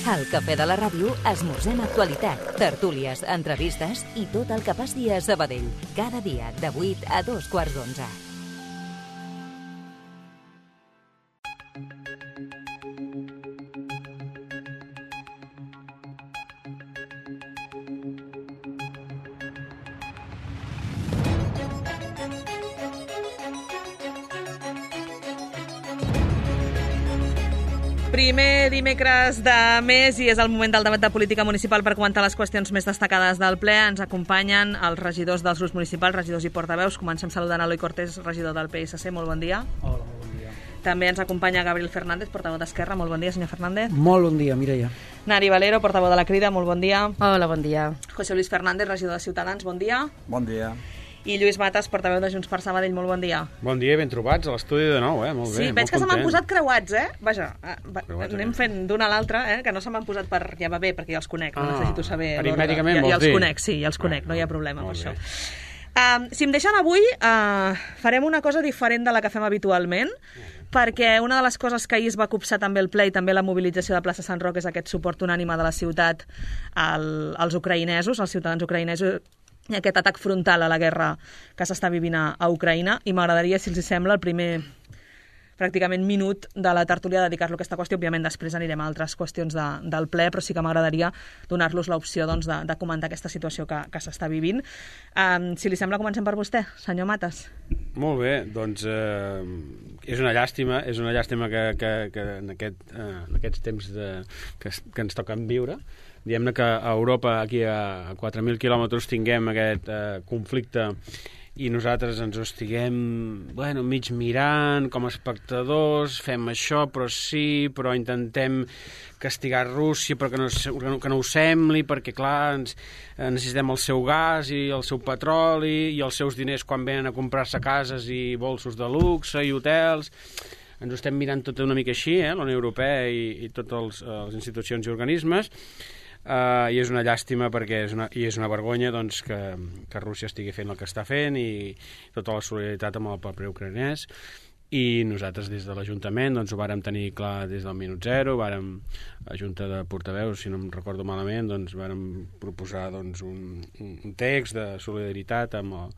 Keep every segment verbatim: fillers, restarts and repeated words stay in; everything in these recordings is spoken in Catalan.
Al Cafè de la Ràdio esmorzem actualitat, tertúlies, entrevistes i tot el que passi a Sabadell. Cada dia de vuit a dos quarts d'onze. Primer dimecres de mes i és el moment del debat de política municipal per comentar les qüestions més destacades del ple. Ens acompanyen els regidors dels grups municipals, regidors i portaveus. Comencem saludant a Eloi Cortés, regidor del P S C. Molt bon dia. Hola, molt bon dia. També ens acompanya Gabriel Fernández, portaveu d'Esquerra. Molt bon dia, senyor Fernández. Molt bon dia, Mireia. Nari Valero, portaveu de la Crida. Molt bon dia. Hola, bon dia. José Luis Fernández, regidor de Ciutadans. Bon dia. Bon dia. I Lluís Matas, portaveu de Junts per Sabadell. Molt bon dia. Bon dia, ben trobats a l'estudi de nou, eh? Molt bé, sí, molt veig que se m'han posat creuats, eh? Vaja, va, creuats, anem eh? fent d'una a l'altra, eh? Que no se m'han posat per... Ja va bé, perquè ja els conec, no Ah, necessito saber... aritmèticament ja, vols ja els dir? conec, sí, ja els conec, no hi ha problema amb Molt això. bé. Um, si em deixen avui, uh, farem una cosa diferent de la que fem habitualment, perquè una de les coses que ahir es va copsar també el ple i també la mobilització de plaça Sant Roc és aquest suport unànime de la ciutat al, als ucraïnesos, als ciutadans ucraïnesos, i aquest atac frontal a la guerra que s'està vivint a, a Ucraïna, i m'agradaria, si els sembla, el primer pràcticament minut de la tertúlia dedicar-lo a aquesta qüestió. Òbviament després anirem a altres qüestions de, del ple, però sí que m'agradaria donar-los l'opció doncs, de, de comentar aquesta situació que, que s'està vivint. Um, si li sembla, comencem per vostè, senyor Matas. Molt bé, doncs eh, és una llàstima, és una llàstima que, que, que en, aquest, eh, en aquests temps de, que, que ens toquen viure, diguem-ne que a Europa, aquí a quatre mil quilòmetres, tinguem aquest eh, conflicte i nosaltres ens ho estiguem bueno, mig mirant com a espectadors, fem això, però sí, però intentem castigar Rússia perquè no, que no ho sembli, perquè clar, ens, necessitem el seu gas i el seu petroli i els seus diners quan venen a comprar-se cases i bolsos de luxe i hotels. Ens ho estem mirant tot una mica així, eh, la Unió Europea i, i totes les institucions i organismes. Uh, i és una llàstima perquè és una, i és una vergonya doncs, que, que Rússia estigui fent el que està fent i tota la solidaritat amb el poble ucraïnès, i nosaltres des de l'Ajuntament doncs, ho vàrem tenir clar des del minut zero, vàrem, la Junta de Portaveus, si no em recordo malament, doncs, vàrem proposar doncs, un, un text de solidaritat amb el,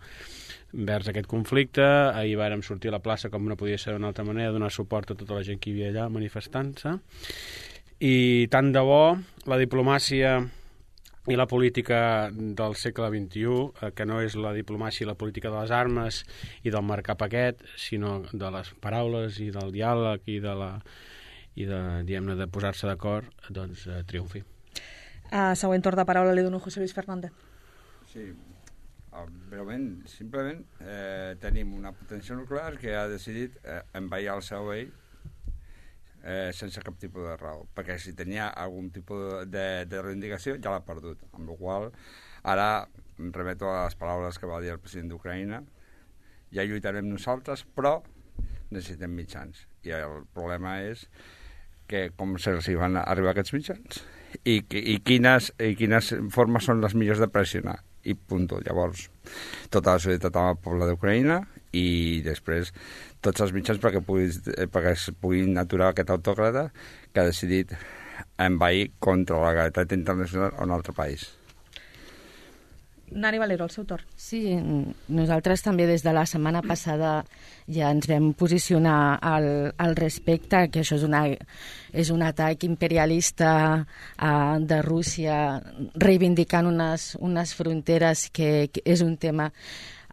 envers aquest conflicte. Ahir vàrem sortir a la plaça, com no podia ser d'una altra manera, donar suport a tota la gent que hi havia allà manifestant-se. I tant de bo la diplomàcia i la política del segle vint-i-u, eh, que no és la diplomàcia i la política de les armes i del marcar paquet, sinó de les paraules i del diàleg i de, la, i de, diguem-ne, de posar-se d'acord, doncs eh, triomfi. Uh, següent torn de paraula li dono a José Luis Fernández. Sí, breument, simplement eh, tenim una potència nuclear que ha decidit eh, envair el Sabadell Eh, sense cap tipus de raó, perquè si tenia algun tipus de, de reivindicació ja l'ha perdut, amb la qual ara em remeto a les paraules que va dir el president d'Ucraïna: ja lluitarem nosaltres, però necessitem mitjans, i el problema és que com se'ls van arribar aquests mitjans i, i, quines, i quines formes són les millors de pressionar, i punt. Llavors tota la solidaritat amb el poble d'Ucraïna i després tots els mitjans perquè, puguis, perquè es puguin aturar aquest autòcrata que ha decidit envair contra la legalitat internacional a un altre país. Nani Valero, el seu torn. Sí, nosaltres també des de la setmana passada ja ens vam posicionar al, al respecte, que això és, una, és un atac imperialista uh, de Rússia reivindicant unes, unes fronteres que, que és un tema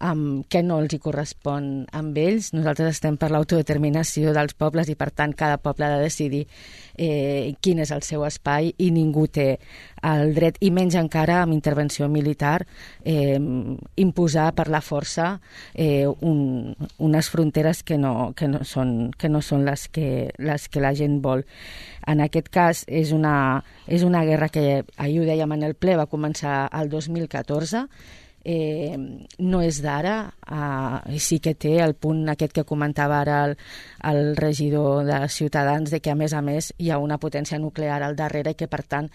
Um, que no els hi correspon amb ells. Nosaltres estem per l'autodeterminació dels pobles i, per tant, cada poble ha de decidir eh, quin és el seu espai, i ningú té el dret, i menys encara amb intervenció militar, eh, imposar per la força eh, un, unes fronteres que no, que no són, que no són les, que, les que la gent vol. En aquest cas és una, és una guerra que, ahir ho dèiem en el ple, va començar el dos mil catorze, Eh, no és d'ara, eh, sí que té el punt aquest que comentava ara el, el regidor de Ciutadans, de que a més a més hi ha una potència nuclear al darrere i que per tant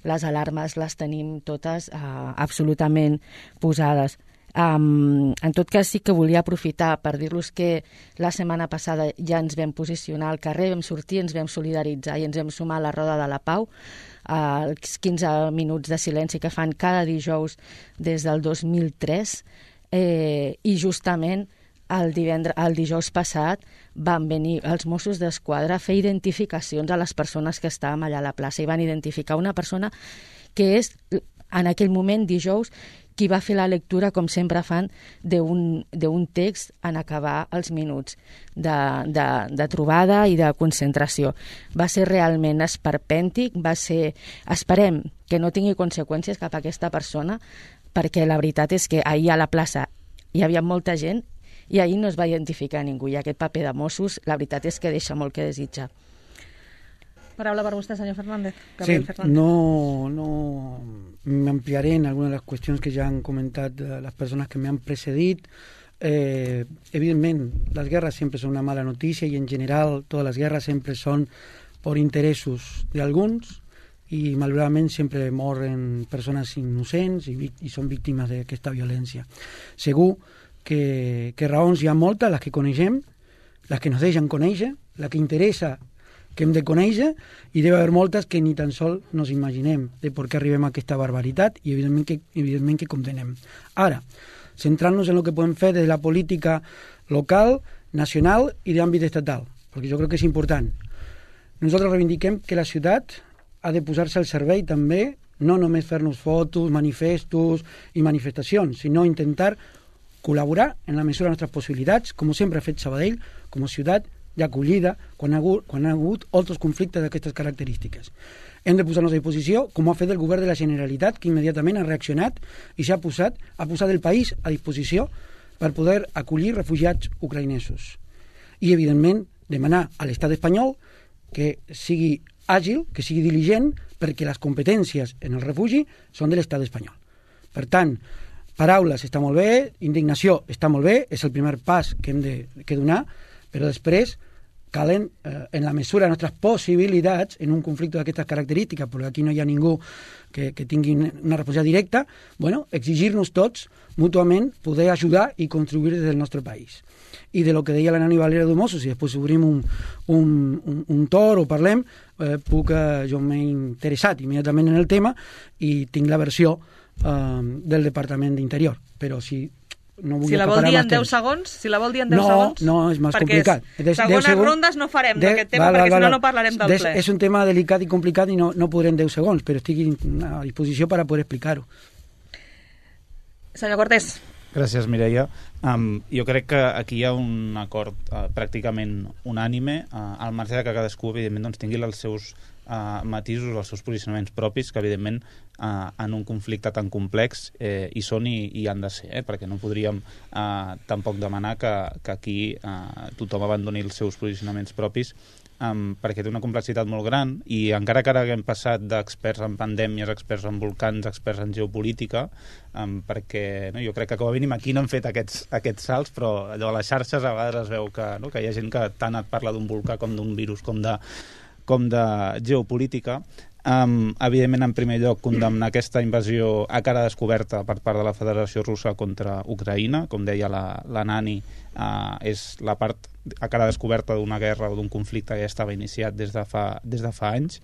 les alarmes les tenim totes eh, absolutament posades. Um, en tot cas, sí que volia aprofitar per dir-los que la setmana passada ja ens vam posicionar al carrer, vam sortir, ens vam solidaritzar i ens vam sumar a la Roda de la Pau, els quinze minuts de silenci que fan cada dijous des del dos mil tres, eh, i justament el, divendres, el dijous passat van venir els Mossos d'Esquadra a fer identificacions a les persones que estàvem allà a la plaça i van identificar una persona que és, en aquell moment, dijous, qui va fer la lectura, com sempre fan, d'un text en acabar els minuts de, de, de trobada i de concentració. Va ser realment esperpèntic, va ser... Esperem que no tingui conseqüències cap a aquesta persona, perquè la veritat és que ahir a la plaça hi havia molta gent i ahir no es va identificar ningú, i aquest paper de Mossos, la veritat és que deixa molt que desitjar. Paraula per vostè, senyor Fernández. Sí, Fernández. no, no me ampliaré en algunas de las cuestiones que ya han comentado las personas que me han precedit. Eh, evidentemente, las guerras siempre son una mala noticia y en general todas las guerras siempre son por intereses de alguns y malauradament sempre moren persones innocents i, i són víctimes d'aquesta violència. Segur que, que raons hi ha moltes, les que coneixem, les que nos deixen conèixer, la que interessa que hem de conèixer, i deve haver moltes que ni tan sol nos imaginem de per què arribem a aquesta barbaritat i evidentment que, evidentment que condenem. Ara, centrant-nos en el que podem fer des de la política local, nacional i d'àmbit estatal, perquè jo crec que és important. Nosaltres reivindiquem que la ciutat ha de posar-se al servei també, no només fer-nos fotos, manifestos i manifestacions, sinó intentar col·laborar en la mesura de les nostres possibilitats, com sempre ha fet Sabadell, com a ciutat d'acollida quan ha hagut, quan ha hagut altres conflictes d'aquestes característiques. Hem de posar-nos a disposició, com ha fet el govern de la Generalitat, que immediatament ha reaccionat i s'ha posat, ha posat el país a disposició per poder acollir refugiats ucraïnesos. I, evidentment, demanar a l'estat espanyol que sigui àgil, que sigui diligent, perquè les competències en el refugi són de l'estat espanyol. Per tant, paraules està molt bé, indignació està molt bé, és el primer pas que hem de que donar, però després calen, eh, en la mesura de les nostres possibilitats, en un conflicte d'aquestes característiques, perquè aquí no hi ha ningú que, que tingui una resposta directa, bueno, exigir-nos tots mútuament poder ajudar i contribuir des del nostre país. I de lo que deia la Nani Valera de Mossos, si després obrim un, un, un, un tor o parlem, eh, puc, eh, jo m'he interessat immediatament en el tema i tinc la versió eh, del Departament d'Interior, però si... No si la vol dir en deu segons, si la vol dir en deu no, segons, no, és més complicat. Perquè segones segons, rondes no farem de, d'aquest tema, val, perquè val, si no, no parlarem del des, ple. És un tema delicat i complicat i no, no podré en deu segons, però estic a disposició per a poder explicar-ho. Senyor Cortés. Gràcies, Mireia. Um, jo crec que aquí hi ha un acord uh, pràcticament unànime, uh, al marge de que cadascú, evidentment, doncs, tingui els seus uh, matisos, els seus posicionaments propis, que, evidentment, uh, en un conflicte tan complex eh, hi són i, i han de ser, eh, perquè no podríem uh, tampoc demanar que, que aquí uh, tothom abandoni els seus posicionaments propis, Um, perquè té una complexitat molt gran i encara que ara haguem passat d'experts en pandèmies, experts en volcans, experts en geopolítica, um, perquè no, jo crec que com a mínim aquí no hem fet aquests, aquests salts, però allò a les xarxes a vegades es veu que, no, que hi ha gent que tant et parla d'un volcà com d'un virus com de, com de geopolítica. Um, evidentment, en primer lloc, condemnar aquesta invasió a cara descoberta per part de la Federació Russa contra Ucraïna. Com deia la, la Nani, uh, és la part a cara descoberta d'una guerra o d'un conflicte que ja estava iniciat des de fa, des de fa anys.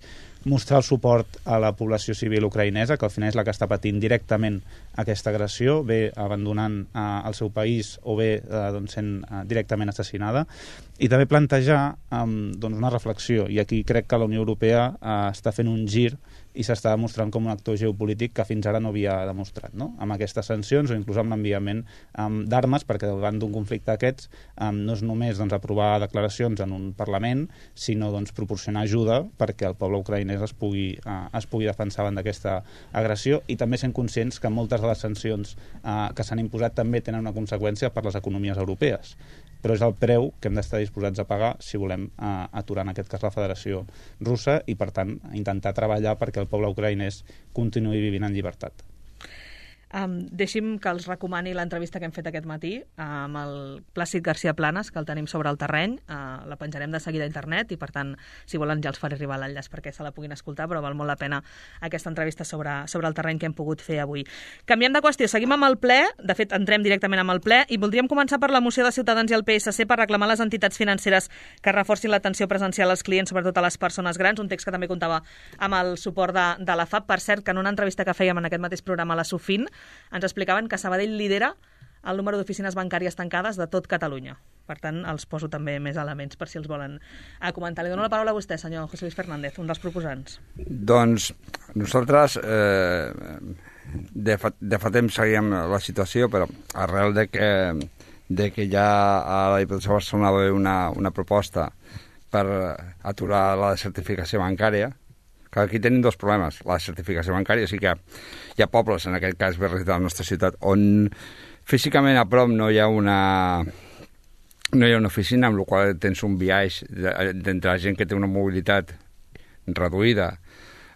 Mostrar el suport a la població civil ucraïnesa, que al final és la que està patint directament aquesta agressió, bé abandonant uh, el seu país o bé uh, doncs sent uh, directament assassinada, i també plantejar um, doncs una reflexió, i aquí crec que la Unió Europea uh, està fent un gir i s'està demostrant com un actor geopolític que fins ara no havia demostrat, no? Amb aquestes sancions o inclús amb l'enviament um, d'armes, perquè davant d'un conflicte d'aquests um, no és només doncs, aprovar declaracions en un Parlament, sinó doncs, proporcionar ajuda perquè el poble ucraïnès es pugui, uh, es pugui defensar davant d'aquesta agressió, i també sent conscients que moltes de les sancions uh, que s'han imposat també tenen una conseqüència per les economies europees, però és el preu que hem d'estar disposats a pagar si volem uh, aturar en aquest cas la Federació Russa i, per tant, intentar treballar perquè el poble ucraïnès continuï vivint en llibertat. Um, deixi'm que els recomani l'entrevista que hem fet aquest matí amb el Plàcid García Planas, que el tenim sobre el terreny. Uh, la penjarem de seguida a internet i, per tant, si volen ja els faré arribar l'enllaç perquè se la puguin escoltar, però val molt la pena aquesta entrevista sobre, sobre el terreny que hem pogut fer avui. Canviem de qüestió, seguim amb el ple, de fet entrem directament amb el ple i voldríem començar per la moció de Ciutadans i el P S C per reclamar a les entitats financeres que reforcin l'atenció presencial als clients, sobretot a les persones grans, un text que també comptava amb el suport de, de la F A P. Per cert, que en una entrevista que fèiem en aquest mateix programa a la Sofin ens explicaven que Sabadell lidera el número d'oficines bancàries tancades de tot Catalunya. Per tant, els poso també més elements per si els volen a comentar. Li dono la paraula a vostè, senyor José Luis Fernández, un dels proposants. Doncs nosaltres eh, de, fa, de fa temps seguíem la situació, però arrel de que, de que ja a la Diputació de Barcelona va haver una, una proposta per aturar la certificació bancària, que aquí tenim dos problemes. La certificació bancària, sí que hi ha pobles, en aquest cas barris de la nostra ciutat, on físicament a prop no hi ha una, no hi ha una oficina, amb la qual tens un viatge d'entre la gent que té una mobilitat reduïda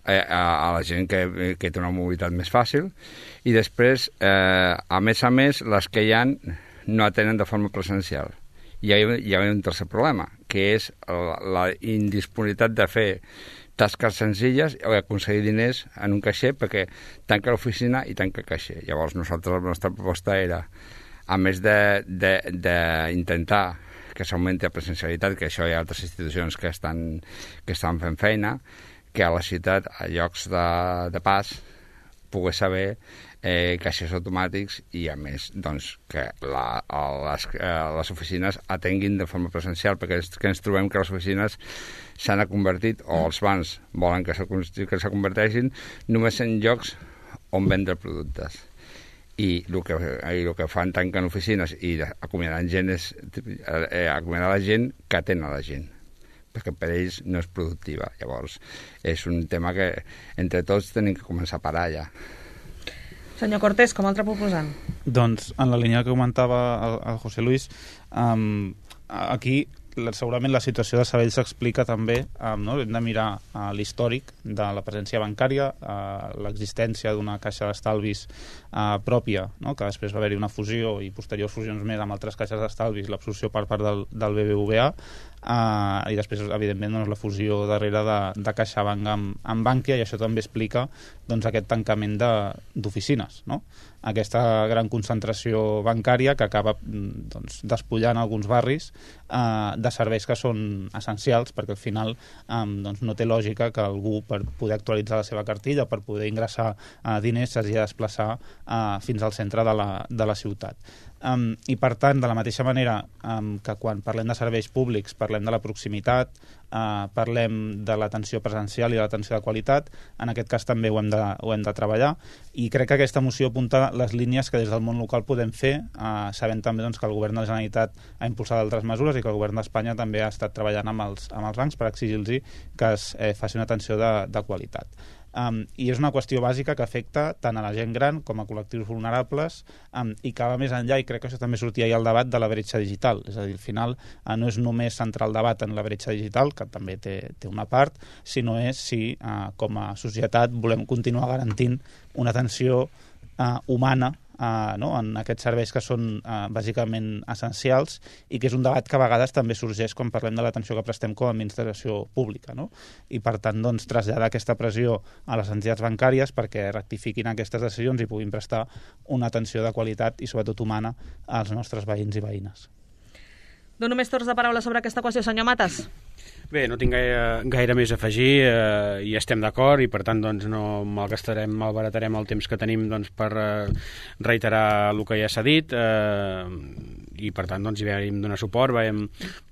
eh, a, a la gent que, que té una mobilitat més fàcil, i després, eh, a més a més, les que hi ha no atenen de forma presencial. I hi ha, hi ha un tercer problema, que és la, la indisponibilitat de fer tasques senzilles o aconseguir diners en un caixer perquè tanca l'oficina i tanca el caixer. Llavors nosaltres la nostra proposta era, a més d'intentar que s'augmenti la presencialitat, que això hi ha altres institucions que estan, que estan fent feina, que a la ciutat, a llocs de, de pas, pogués saber eh, caixers automàtics i, a més, doncs, que la, les, les oficines atenguin de forma presencial, perquè és que ens trobem que les oficines s'han convertit, o els bancs volen que se, que se converteixin, només en llocs on vendre productes. I el que, i el que fan tanquen oficines i acomiadant gent és eh, acomiadar la gent que atén a la gent, perquè per ells no és productiva. Llavors, és un tema que entre tots tenim que començar a parar ja. Senyor Cortés, com a altre proposant. Doncs, en la línia que comentava el, el José Luis, um, aquí segurament la situació de Sabadell s'explica també, um, no? Hem de mirar uh, l'històric de la presència bancària, uh, l'existència d'una caixa d'estalvis uh, pròpia, no? Que després va haver-hi una fusió i posteriors fusions més amb altres caixes d'estalvis, l'absorció per part del, del B B V A, uh, i després, evidentment, doncs, la fusió darrere de, de CaixaBank amb, amb Bankia, i això també explica doncs, aquest tancament d'oficines, no? Aquesta gran concentració bancària que acaba doncs, despullant alguns barris eh, de serveis que són essencials, perquè al final eh, doncs, no té lògica que algú, per poder actualitzar la seva cartilla, per poder ingressar eh, diners, s'hagi de desplaçar eh, fins al centre de la, de la ciutat. Um, I per tant, de la mateixa manera um, que quan parlem de serveis públics parlem de la proximitat, uh, parlem de l'atenció presencial i de l'atenció de qualitat, en aquest cas també ho hem de, ho hem de treballar, i crec que aquesta moció apunta les línies que des del món local podem fer, uh, sabent també doncs, que el govern de la Generalitat ha impulsat altres mesures i que el govern d'Espanya també ha estat treballant amb els, amb els bancs per exigir-los que es eh, faci una atenció de, de qualitat. Um, i és una qüestió bàsica que afecta tant a la gent gran com a col·lectius vulnerables, um, i que va més enllà, i crec que això també sortia ahir al debat, de la bretxa digital. És a dir, al final uh, no és només centrar el debat en la bretxa digital, que també té, té una part, sinó és si uh, com a societat volem continuar garantint una atenció uh, humana Uh, no? en aquests serveis que són uh, bàsicament essencials, i que és un debat que a vegades també sorgeix quan parlem de l'atenció que prestem com a administració pública, no? I per tant doncs, traslladar aquesta pressió a les entitats bancàries perquè rectifiquin aquestes decisions i puguin prestar una atenció de qualitat i sobretot humana als nostres veïns i veïnes. Dono més torns de paraula sobre aquesta qüestió, senyor Matas. Bé, no tinc gaire, gaire més a afegir, eh, i estem d'acord, i per tant doncs, no malgastarem, malbaratarem el temps que tenim doncs, per eh, reiterar el que ja s'ha dit, eh, i per tant doncs, hi vam donar suport, vam,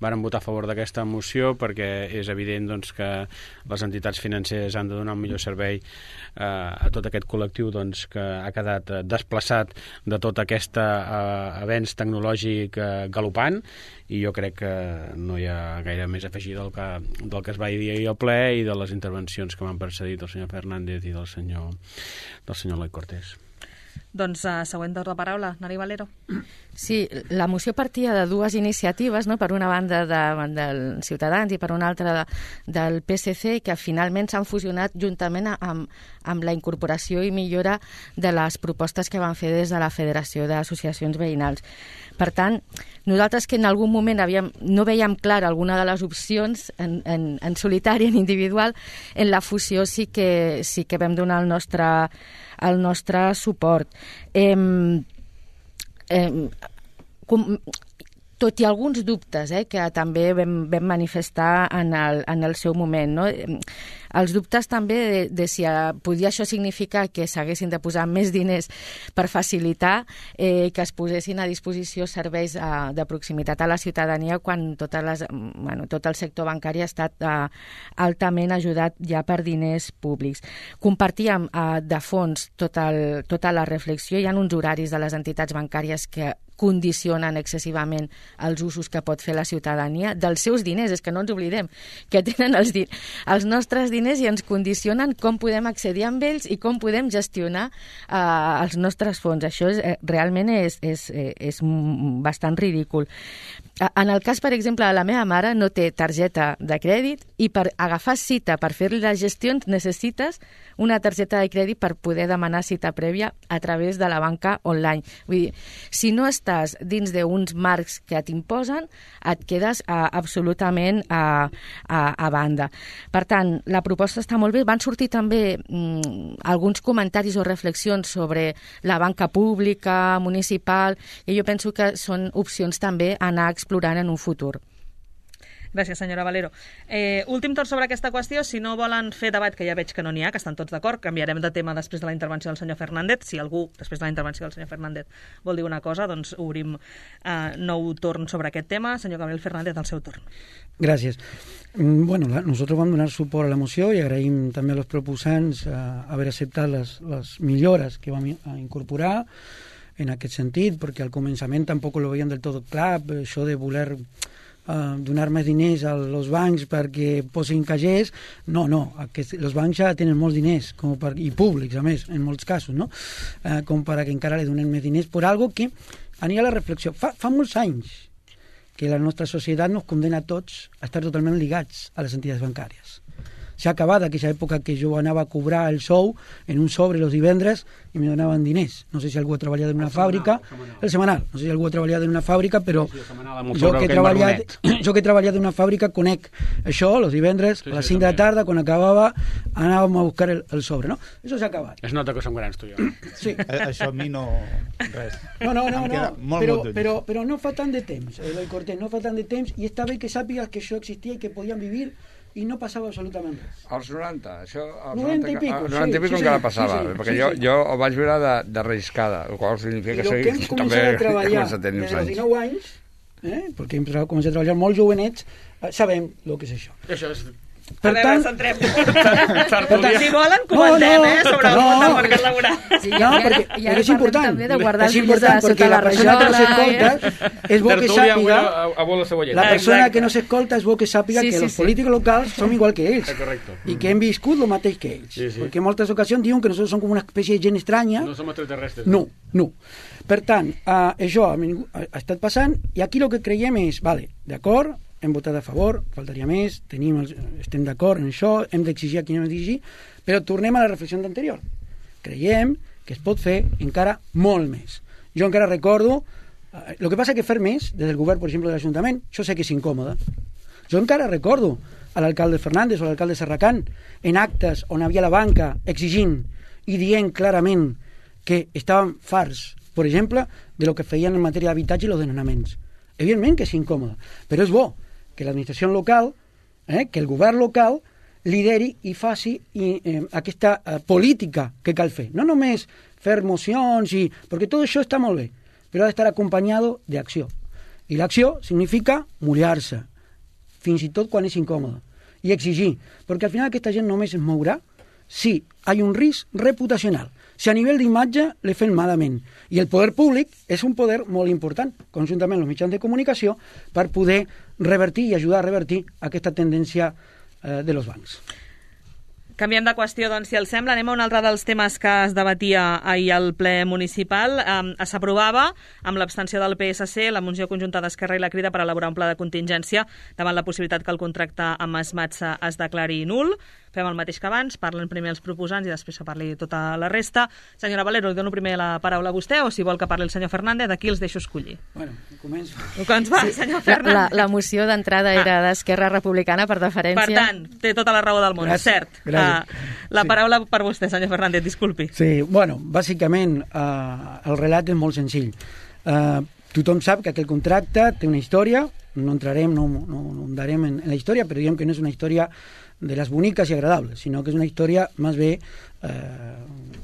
vam votar a favor d'aquesta moció perquè és evident doncs, que les entitats financeres han de donar un millor servei eh, a tot aquest col·lectiu doncs, que ha quedat desplaçat de tot aquest eh, avenç tecnològic eh, galopant, i jo crec que no hi ha gaire més a afegir del que, del que es va dir ahir al ple i de les intervencions que m'han precedit del senyor Fernández i del senyor, del senyor Eloi Cortés. Doncs uh, següent torn de paraula, Nari Valero. Sí, la moció partia de dues iniciatives, no? Per una banda de, dels Ciutadans i per una altra de, del P S C, que finalment s'han fusionat juntament amb, amb la incorporació i millora de les propostes que van fer des de la Federació d'Associacions Veïnals. Per tant, nosaltres que en algun moment havíem, no veiem clara alguna de les opcions en, en, en solitari, en individual, en la fusió sí que, sí que vam donar el nostre, el nostre suport. Eh, eh, com, tot i alguns dubtes eh, que també vam, vam manifestar en el, en el seu moment, no? Els dubtes també de, de si podia això significar que s'haguessin de posar més diners per facilitar eh, que es posessin a disposició serveis eh, de proximitat a la ciutadania quan totes les, bueno, tot el sector bancari ha estat eh, altament ajudat ja per diners públics. Compartíem eh, de fons tot el, tota la reflexió. Hi ha uns horaris de les entitats bancàries que condicionen excessivament els usos que pot fer la ciutadania dels seus diners, és que no ens oblidem que tenen els, di els nostres diners i ens condicionen com podem accedir amb ells i com podem gestionar eh, els nostres fons. Això és, eh, realment és, és, és bastant ridícul. En el cas, per exemple, de la meva mare no té targeta de crèdit i per agafar cita per fer-li les gestions necessites una targeta de crèdit per poder demanar cita prèvia a través de la banca online. Vull dir, si no estàs dins d'uns marcs que t'imposen, et quedes uh, absolutament uh, a, a banda. Per tant, la proposta està molt bé. Van sortir també mm, alguns comentaris o reflexions sobre la banca pública, municipal, i jo penso que són opcions també a anar explorant en un futur. Gràcies, senyora Valero. Eh, últim torn sobre aquesta qüestió. Si no volen fer debat, que ja veig que no n'hi ha, que estan tots d'acord, canviarem de tema després de la intervenció del senyor Fernández. Si algú, després de la intervenció del senyor Fernández, vol dir una cosa, doncs obrim eh, nou torn sobre aquest tema. Senyor Gabriel Fernández, al seu torn. Gràcies. Bueno, nosotros vam donar suport a la moció i agraïm també als proposants eh, haver acceptat les, les millores que vam incorporar en aquest sentit, perquè al començament tampoc lo veien del tot clar, això de voler Uh, donar més diners als bancs perquè posin cagers, no, no, aquests, els bancs ja tenen molts diners com per, i públics a més, en molts casos, no? Uh, com per a que encara li donen més diners per algo que aniria a la reflexió. Fa, fa molts anys que la nostra societat nos condena a tots a estar totalment ligats a les entitats bancàries. S'ha acabat aquella època que jo anava a cobrar el sou en un sobre els divendres i me donaven diners. No sé si algú ha treballat en una el fàbrica, semanal, el semanal, no sé si algú ha treballat en una fàbrica, però sí, sí, jo, que he treballat, jo que he treballat en una fàbrica conec això, els divendres, sí, sí, a les cinc de la tarda, quan acabava, anàvem a buscar el, el sobre, no? Això s'ha acabat. Es nota que som grans, tu i jo. Sí. Això a mi no... res. No, no, no, no. Molt, però, molt però, però no fa tant de temps, Eloi Cortés, no fa tant de temps, i està bé que sàpigues que això existia i que podien vivir i no passava absolutament res. Als noranta, això... Als noranta i pico, sí, noranta i pico sí, encara sí, passava, sí, sí, perquè sí, jo, sí. jo ho vaig veure de, de reiscada, el qual significa que, que hem també a treballar a tenir des uns dels anys. dinou anys, eh, perquè hem començat a treballar molt jovenets, eh, sabem el que és això. Això és... Per a veure, centrem. Si volen, comentem, no, no, eh, sobre el món del mercat laboral. Sí, no, i ara, perquè, i ara és important. també de guardar és important els perquè la persona que no s'escolta és bo que sàpiga... La persona que no s'escolta és bo que sàpiga sí, que sí, els sí. polítics locals som igual que ells. Correcto. I que hem viscut el mateix que ells. Sí, sí. Perquè en moltes ocasions diuen que nosaltres som com una espècie de gent estranya. No som extraterrestres. No, no. Per tant, uh, això ha, ha estat passant i aquí el que creiem és, vale, d'acord, hem votat a favor, faltaria més, tenim els, estem d'acord en això, hem d'exigir a qui hem d'exigir, però tornem a la reflexió anterior. Creiem que es pot fer encara molt més. Jo encara recordo, eh, el que passa que fer més, des del govern, per exemple, de l'Ajuntament, això sé que és incòmode. Jo encara recordo a l'alcalde Fernández o a l'alcalde Serracant en actes on havia la banca exigint i dient clarament que estaven farts, per exemple, de lo que feien en matèria d'habitatge i els desnonaments. Evidentment que és incòmode, però és bo que l'administració local, eh, que el govern local lideri i faci i, eh, aquesta eh, política que cal fer. No només fer mocions, i, perquè tot això està molt bé, però ha d'estar acompanyado d'acció. I l'acció significa mullar-se, fins i tot quan és incòmode, i exigir, perquè al final aquesta gent només es mourà si hi ha un risc reputacional, si a nivell d'imatge le fem malament. I el poder públic és un poder molt important, conjuntament amb els mitjans de comunicació, per poder revertir i ajudar a revertir aquesta tendència eh, de los bancs. Canviem de qüestió, doncs, si els sembla. Anem a un altre dels temes que es debatia ahir al ple municipal. Um, S'aprovava, amb l'abstenció del P S C, la moció conjunta d'Esquerra i la Crida per elaborar un pla de contingència davant la possibilitat que el contracte amb Esmatsa es declari nul. Fem el mateix que abans, parlen primer els proposants i després se parli tota la resta. Senyora Valero, li dono primer la paraula a vostè o si vol que parli el senyor Fernández, aquí els deixo escollir. Bueno, començo. Com va, sí, senyor Fernández? La, la, la moció d'entrada ah. era d'Esquerra Republicana per deferència. Per tant, té tota la raó del món, gràcies, cert. Gràcies. Uh, la sí. paraula per vostè, senyor Fernández, disculpi. Sí, bueno, bàsicament uh, el relat és molt senzill. Uh, tothom sap que aquell contracte té una història, no entrarem, no, no, no andarem en, en la història, però diguem que no és una història de les boniques i agradables, sinó que és una història més bé eh,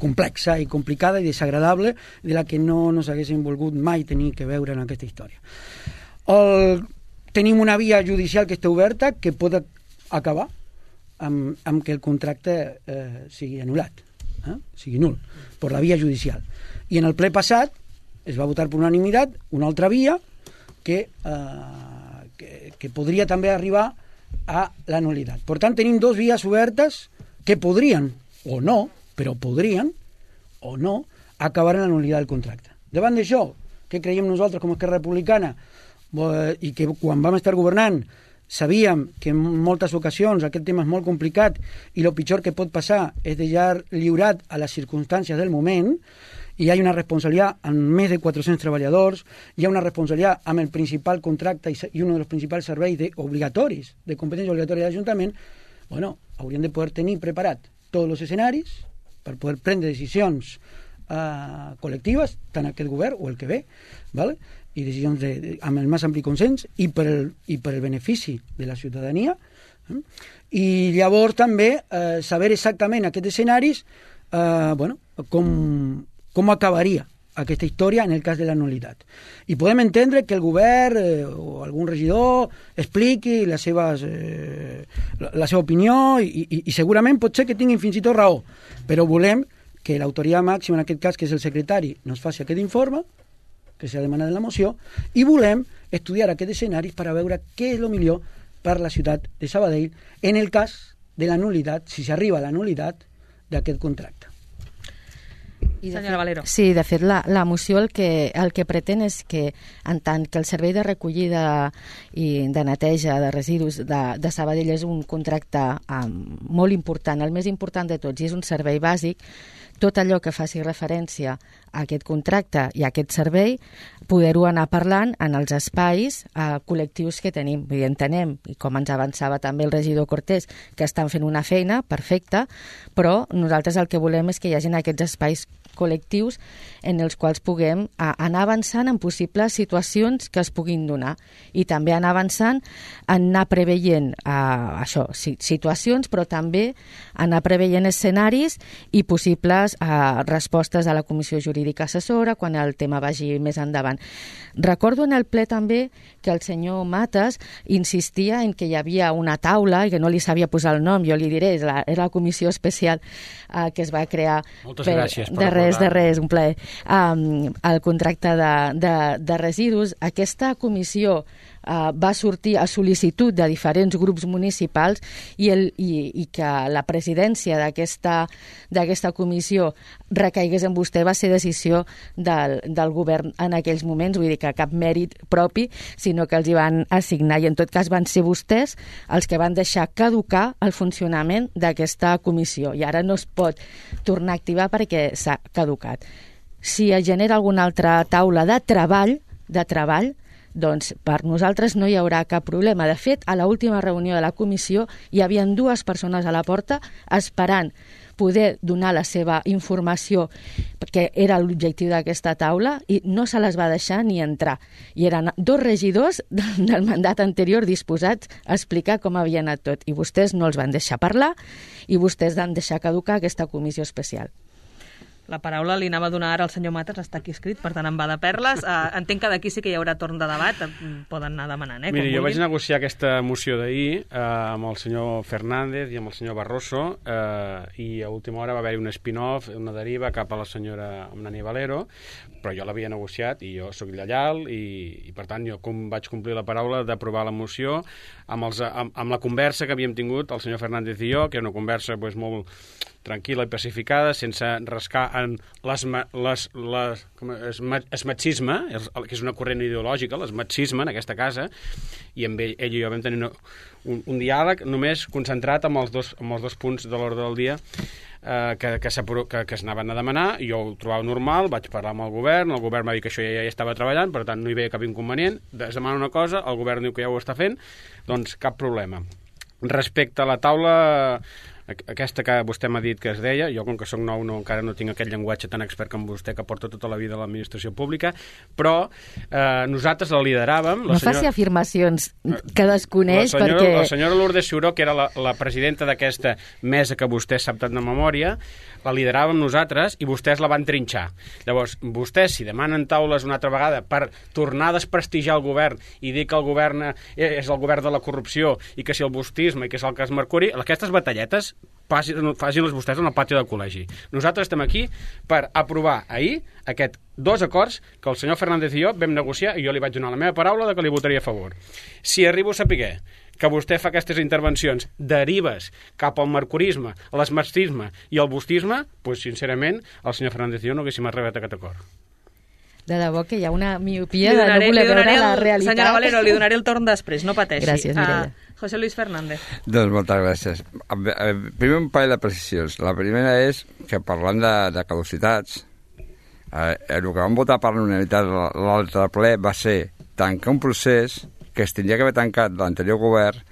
complexa i complicada i desagradable, de la que no nos haguéssim volgut mai tenir que veure en aquesta història. El, tenim una via judicial que està oberta que pot acabar amb, amb que el contracte eh, sigui anul·lat, eh? sigui nul, per la via judicial. I en el ple passat es va votar per unanimitat una altra via que, eh, que, que podria també arribar a la nulitat. Per tant, tenim dos vies obertes que podrien, o no, però podrien, o no, acabar en la nulitat del contracte. Davant d'això, què creiem nosaltres com a Esquerra Republicana, i que quan vam estar governant sabíem que en moltes ocasions aquest tema és molt complicat i el pitjor que pot passar és deixar lliurat a les circumstàncies del moment, i hi ha una responsabilitat amb més de quatre-cents treballadors, hi ha una responsabilitat amb el principal contracte i un dels principals serveis de, obligatoris, de competència obligatòria de l'Ajuntament. Bueno, hauríem de poder tenir preparat tots els escenaris per poder prendre decisions uh, col·lectives, tant aquest govern o el que ve, ¿vale? I decisions de, de, amb el més ampli consens i per el, i per el benefici de la ciutadania. Eh? I llavors també eh, saber exactament aquests escenaris eh, bueno, com com acabaria aquesta història en el cas de la nulitat. I podem entendre que el govern eh, o algun regidor expliqui les seves, eh, la, la seva opinió i, i, i segurament pot ser que tinguin fins i tot raó, però volem que l'autoritat màxima, en aquest cas, que és el secretari, nos faci aquest informe, que s'ha demanat en la moció, i volem estudiar aquests escenaris per a veure què és el millor per la ciutat de Sabadell en el cas de la nulitat, si s'arriba a la nulitat d'aquest contracte. I Senyora fet, Valero. Sí, de fet, la, la moció el que, el que pretén és que, en tant que el servei de recollida i de neteja de residus de, de Sabadell és un contracte um, molt important, el més important de tots, i és un servei bàsic, tot allò que faci referència a aquest contracte i a aquest servei, poder-ho anar parlant en els espais eh, col·lectius que tenim. I entenem, i com ens avançava també el regidor Cortés, que estan fent una feina perfecta, però nosaltres el que volem és que hi hagin aquests espais col·lectius en els quals puguem a, anar avançant en possibles situacions que es puguin donar i també anar avançant en anar preveient uh, això, situacions, però també anar preveient escenaris i possibles uh, respostes a la Comissió Jurídica Assessora quan el tema vagi més endavant. Recordo en el ple també que el senyor Matas insistia en que hi havia una taula i que no li sabia posar el nom, jo li diré, és la, era la comissió especial uh, que es va crear. Moltes per, gràcies per de res, de res, un plaer. Um, el contracte de, de, de residus, aquesta comissió Uh, va sortir a sol·licitud de diferents grups municipals i, el, i, i que la presidència d'aquesta d'aquesta comissió recaigués en vostè va ser decisió del, del govern en aquells moments, vull dir que cap mèrit propi, sinó que els hi van assignar i en tot cas van ser vostès els que van deixar caducar el funcionament d'aquesta comissió i ara no es pot tornar a activar perquè s'ha caducat. Si es genera alguna altra taula de treball, de treball doncs per nosaltres no hi haurà cap problema. De fet, a l'última reunió de la comissió hi havia dues persones a la porta esperant poder donar la seva informació, perquè era l'objectiu d'aquesta taula, i no se les va deixar ni entrar. I eren dos regidors del mandat anterior disposats a explicar com havia anat tot, i vostès no els van deixar parlar i vostès van deixar caducar aquesta comissió especial. La paraula li anava a donar ara al senyor Mates, està aquí escrit, per tant em va de perles. Uh, entenc que d'aquí sí que hi haurà torn de debat, poden anar demanant, eh? Miri, jo vaig negociar aquesta moció d'ahir eh, amb el senyor Fernández i amb el senyor Barroso eh, i a última hora va haver-hi un spin-off, una deriva cap a la senyora Nani Valero, però jo l'havia negociat i jo sóc lleial i, i per tant jo com vaig complir la paraula d'aprovar la moció amb, els, amb, amb la conversa que havíem tingut el senyor Fernández i jo, que era una conversa pues, molt tranquil·la i pacificada, sense rascar en les, les, les, com és, es machisme, que és una corrent ideològica, l'esmatxisme en aquesta casa, i amb ell, ell i jo vam tenir un, un diàleg només concentrat amb els dos, amb els dos punts de l'ordre del dia eh, que, que, que, que s'anaven a demanar, i jo ho trobava normal, vaig parlar amb el govern, el govern va dir que això ja, ja estava treballant, per tant no hi veia cap inconvenient, es demana una cosa, el govern diu que ja ho està fent, doncs cap problema. Respecte a la taula aquesta que vostè m'ha dit que es deia, jo com que soc nou no, encara no tinc aquest llenguatge tan expert com vostè que porta tota la vida a l'administració pública, però eh, nosaltres la lideràvem. La no senyora... faci afirmacions que desconeix, la senyora, perquè... La senyora Lourdes Ciuró, que era la, la presidenta d'aquesta mesa que vostè sap tant de memòria, la lideràvem nosaltres i vostès la van trinxar. Llavors, vostès, si demanen taules una altra vegada per tornar a desprestigiar el govern i dir que el govern és el govern de la corrupció i que si el bustisme i que és el cas Mercuri, aquestes batalletes facin-les vostès en el pati del col·legi. Nosaltres estem aquí per aprovar ahir aquests dos acords que el senyor Fernández i jo vam negociar i jo li vaig donar la meva paraula de que li votaria a favor. Si arribo a saber que vostè fa aquestes intervencions derives cap al mercurisme, a l'esmartisme i al bustisme, doncs sincerament el senyor Fernández i jo no haguéssim arribat a aquest acord. De debò que hi ha una miopia de no voler veure la realitat. Senyora Valero, li donaré el torn després, no pateixi. Gràcies, Mireia. Uh, José Luis Fernández. Doncs moltes gràcies. Primer un parell de precisions. La primera és que parlant de, de caducitats, eh, el que vam votar per l'unanitat l'altre ple va ser tancar un procés que es tindria que haver tancat l'anterior govern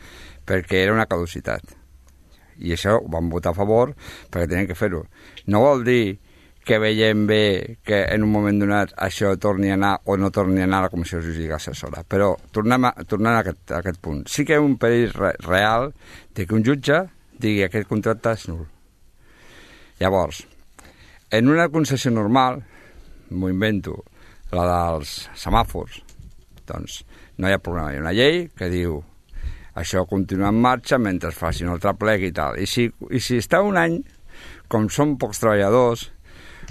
perquè era una caducitat. I això ho vam votar a favor perquè tenien que fer-ho. No vol dir que veiem bé que en un moment donat això torni a anar o no torni a anar a la Comissió Jurídica Assessora. Però tornem a, tornem a, aquest, a aquest punt. Sí que hi ha un perill re, real de que un jutge digui que aquest contracte és nul. Llavors, en una concessió normal, m'ho invento, la dels semàfors, doncs no hi ha problema. Hi ha una llei que diu això continua en marxa mentre es faci un altre plec i tal. I si, i si està un any, com són pocs treballadors,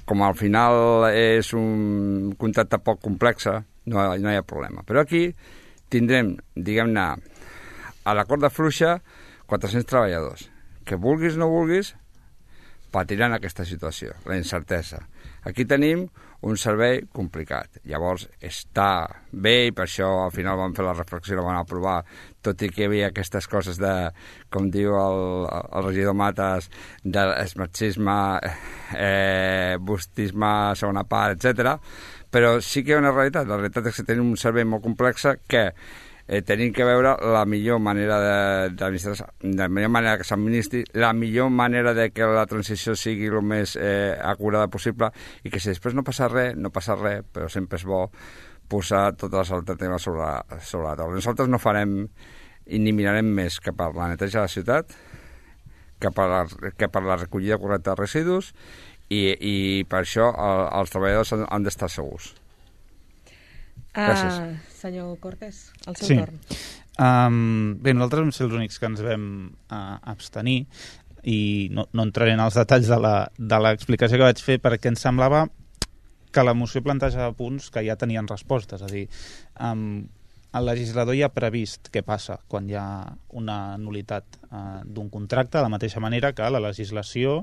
com al final és un contracte poc complex, no, no hi ha problema. Però aquí tindrem, diguem-ne, a l'acord de fluixa, quatre-cents treballadors. Que vulguis o no vulguis, patiran aquesta situació, la incertesa. Aquí tenim un servei complicat. Llavors està bé i per això al final vam fer la reflexió i la vam aprovar, tot i que hi havia aquestes coses de, com diu el, el regidor Mates, de esmarxisme, eh, bustisme, segona part, etcètera. Però sí que hi ha una realitat. La realitat és que tenim un servei molt complex que eh, tenim que veure la millor manera d'administrar, la millor manera que s'administri, la millor manera de que la transició sigui el més eh, acurada possible i que si després no passa res, no passa res, però sempre és bo posar totes les alternatives sobre, sobre la taula. Nosaltres no farem i ni mirarem més que per la neteja de la ciutat, que per la, que per la recollida correcta de residus i, i per això el, els treballadors han, han d'estar segurs. Gràcies. Uh, senyor Cortés, el seu sí. torn. Um, bé, nosaltres vam ser els únics que ens vam uh, abstenir i no, no entraré en els detalls de l'explicació que vaig fer perquè ens semblava que la moció plantejava punts que ja tenien respostes. És a dir, um, el legislador ja ha previst què passa quan hi ha una nul·litat uh, d'un contracte, de la mateixa manera que la legislació,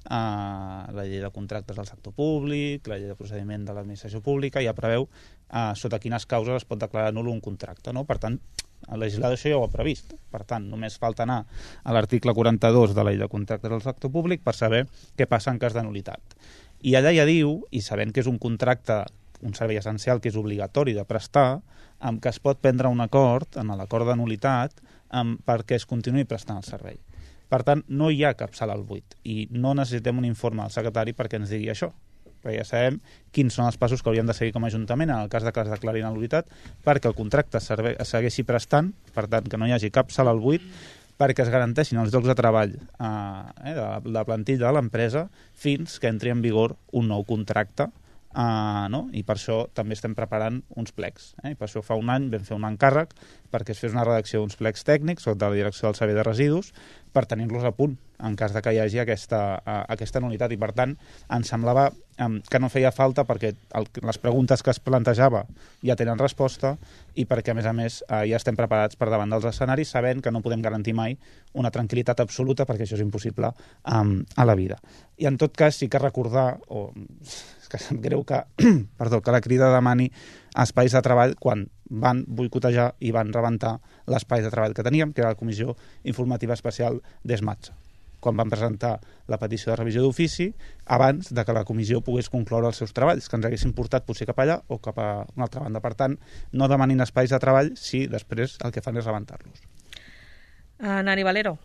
Uh, la llei de contractes del sector públic, la llei de procediment de l'administració pública ja preveu uh, sota quines causes es pot declarar nul un contracte, no? Per tant, el legislador això ja ho ha previst. Per tant, només falta anar a l'article quaranta-dos de la llei de contractes del sector públic per saber què passa en cas de nul·litat. I allà ja diu, i sabent que és un contracte, un servei essencial que és obligatori de prestar, amb que es pot prendre un acord, en l'acord de nul·litat, amb, perquè es continuï prestant el servei. Per tant, no hi ha cap sala al buit i no necessitem un informe del secretari perquè ens digui això, perquè ja sabem quins són els passos que hauríem de seguir com a Ajuntament en el cas de que es declari nul·litat perquè el contracte es segueixi prestant, per tant, que no hi hagi cap sala al buit, perquè es garanteixin els llocs de treball eh, de la plantilla de l'empresa fins que entri en vigor un nou contracte. Uh, no? I per això també estem preparant uns plecs. Eh? I per això fa un any vam fer un encàrrec perquè es fes una redacció d'uns plecs tècnics sota la direcció del Servei de Residus per tenir-los a punt en cas de que hi hagi aquesta, uh, aquesta nul·litat. I per tant ens semblava um, que no feia falta perquè el, les preguntes que es plantejava ja tenen resposta i perquè a més a més uh, ja estem preparats per davant dels escenaris sabent que no podem garantir mai una tranquil·litat absoluta perquè això és impossible um, a la vida. I en tot cas sí que recordar o que em greu que, perdó, que la Crida demani espais de treball quan van boicotejar i van rebentar l'espai de treball que teníem, que era la Comissió Informativa Especial d'ESMATSA, quan van presentar la petició de revisió d'ofici abans de que la comissió pogués concloure els seus treballs, que ens haguessin portat potser cap allà o cap a una altra banda. Per tant, no demanin espais de treball si després el que fan és rebentar-los. Uh, Nani Valero.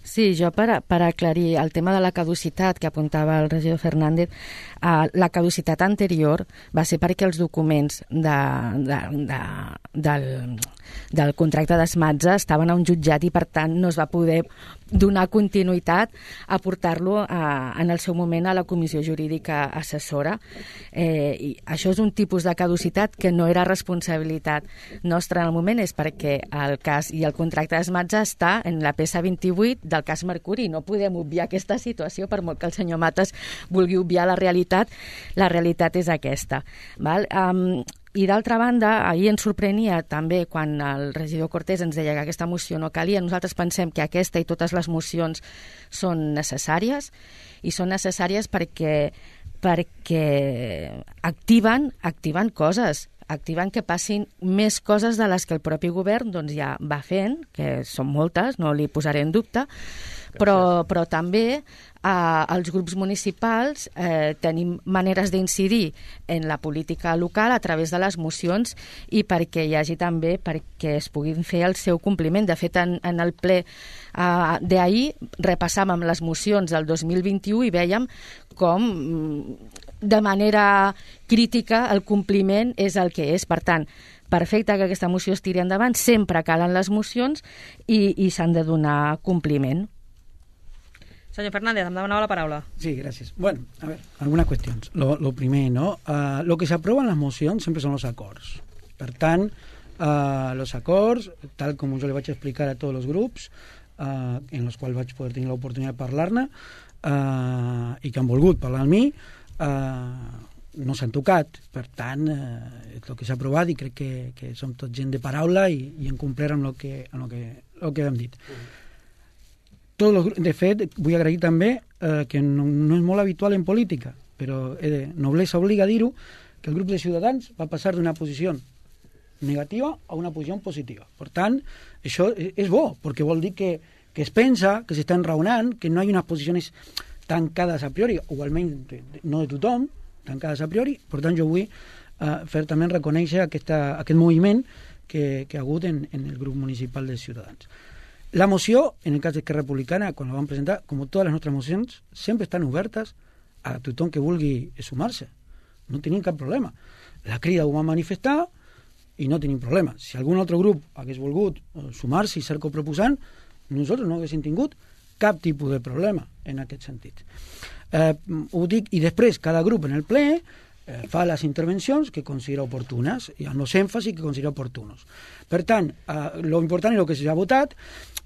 Sí, jo per, per aclarir el tema de la caducitat que apuntava el regidor Fernández, eh, la caducitat anterior va ser perquè els documents de, de, de, del, del contracte d'ESMATSA estaven a un jutjat i per tant no es va poder donar continuïtat a portar-lo en el seu moment a la comissió jurídica assessora. Eh, i això és un tipus de caducitat que no era responsabilitat nostra en el moment, és perquè el cas i el contracte d'ESMATSA està en la peça vint-i-vuit del cas Mercuri. No podem obviar aquesta situació, per molt que el senyor Matas vulgui obviar la realitat, la realitat és aquesta. Val? Um, I d'altra banda, ahir ens sorprenia també quan el regidor Cortés ens deia que aquesta moció no calia. Nosaltres pensem que aquesta i totes les mocions són necessàries i són necessàries perquè, perquè activen, activen coses, activen que passin més coses de les que el propi govern doncs, ja va fent, que són moltes, no li posaré en dubte, però, però també eh, els grups municipals eh, tenim maneres d'incidir en la política local a través de les mocions i perquè hi hagi també perquè es puguin fer el seu compliment. De fet, en, en el ple eh, d'ahir repassàvem les mocions del dos mil vint-i-u i vèiem com de manera crítica el compliment és el que és. Per tant, perfecte que aquesta moció es tiri endavant, sempre calen les mocions i, i s'han de donar compliment. Señor Fernández, em demanava la paraula. Sí, gracias. Bueno, a ver, algunas cuestiones. Lo, lo primer, ¿no? Uh, lo que se aprueba en las mocions sempre són els acords. Per tant, uh, los acords, tal com jo li vaig explicar a tots els grups, uh, en els quals vaig poder tenir l'oportunitat de parlar-ne, uh, i que han volgut parlar amb mi, uh, no s'han tocat. Per tant, uh, és el que s'ha aprovat i crec que, que som tot gent de paraula i, i en complert amb el que, amb el que, el que hem dit. Mm. Tots los, de fet, vull agrair també eh, que no, no és molt habitual en política, però eh, de noblesa obliga a dir-ho, que el grup de Ciutadans va passar d'una posició negativa a una posició positiva. Per tant, això és bo, perquè vol dir que, que es pensa, que s'estan raonant, que no hi ha unes posicions tancades a priori, o almenys no de tothom, tancades a priori. Per tant, jo vull eh, fer també reconèixer aquesta, aquest moviment que, que ha hagut en, en el grup municipal de Ciutadans. La moció, en el cas d'Esquerra Republicana, quan la vam presentar, com totes les nostres mocions, sempre estan obertes a tothom que vulgui sumar-se. No tenim cap problema. La Crida ho va manifestar i no tenim problema. Si algun altre grup hagués volgut sumar-se i ser coproposant, nosaltres no haguéssim tingut cap tipus de problema en aquest sentit. Eh, ho dic, i després cada grup en el ple eh, fa les intervencions que considera oportunes i amb els èmfasis que considera oportunos. Per tant, eh, lo important és el que s'ha votat.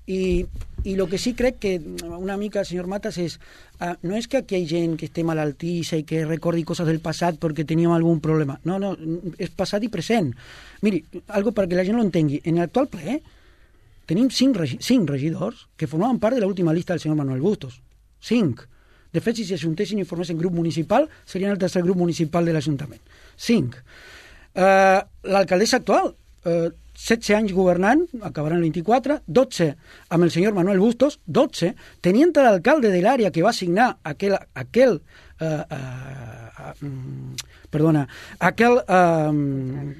I, i el que sí crec que una mica, senyor Matas, és uh, no és que aquí hi ha gent que esté malaltissa i que recordi coses del passat perquè teníem algun problema. No, no, és passat i present. Miri, algo perquè la gent ho entengui. En l'actual ple tenim cinc, regi cinc regidors que formaven part de l'última llista del senyor Manuel Bustos. Cinc. De fet, si s'ajuntessin i formessin grup municipal, serien el tercer grup municipal de l'Ajuntament. Cinc. Uh, L'alcaldessa actual, uh, setze anys governant, acabaran el vint-i-quatre, dotze amb el senyor Manuel Bustos, dotze, teniente d'alcalde de l'àrea que va signar aquel, aquel uh, uh, um, perdona, aquel uh,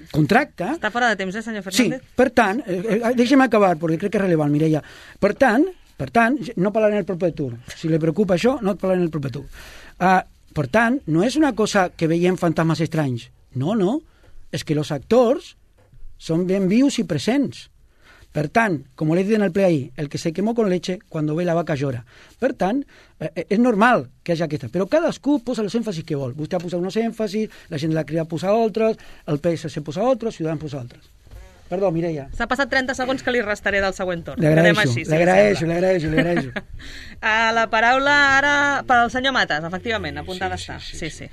contracte... Està fora de temps, eh, senyor Fernández? Sí, per tant, eh, deixem acabar, perquè crec que és rellevant, Mireia. Per tant, per tant, no parlaré en el proper tour. Si li preocupa això, no et parlaré en el proper tour. Uh, per tant, no és una cosa que veiem fantasmes estranys. No, no. És que els actors són ben vius i presents. Per tant, com he dit en el ple ahir, el que se quemó con leche, cuando ve la vaca llora. Per tant, eh, és normal que hi hagi aquesta, però cadascú posa els èmfasis que vol. Vostè ha posat uns èmfasis, la gent de la Crida posa altres, el P S C posa altres, Ciutadans posa altres. Perdó, Mireia. S'ha passat trenta segons que li restaré del següent torn. Li agraeixo, li agraeixo, li agraeixo, li agraeixo. La paraula ara per al senyor Matas, efectivament, apuntada està. Sí, sí. sí.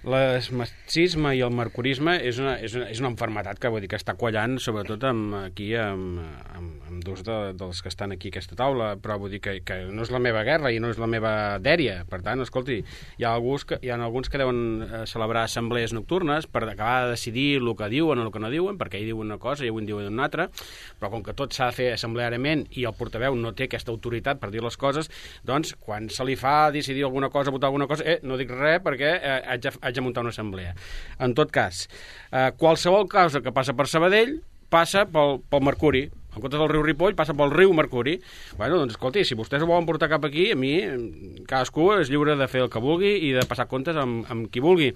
L'esmacisme i el mercurisme és una, és una, és una enfermetat que, vull dir, que està quallant, sobretot amb, aquí amb, amb, amb dos de, dels que estan aquí a aquesta taula, però vull dir que, que no és la meva guerra i no és la meva dèria. Per tant, escolti, hi ha alguns que, hi ha alguns que deuen celebrar assemblees nocturnes per acabar de decidir el que diuen o el que no diuen, perquè ell diu una cosa i avui en diuen una altra, però com que tot s'ha de fer assembleàriament i el portaveu no té aquesta autoritat per dir les coses, doncs, quan se li fa decidir alguna cosa, votar alguna cosa, eh, no dic res perquè eh, haig de, haig de muntar una assemblea. En tot cas, eh, qualsevol cosa que passa per Sabadell passa pel, pel Mercuri. En comptes del riu Ripoll, passa pel riu Mercuri. Bueno, doncs, escolti, si vostès ho volen portar cap aquí, a mi, cadascú és lliure de fer el que vulgui i de passar comptes amb, amb qui vulgui.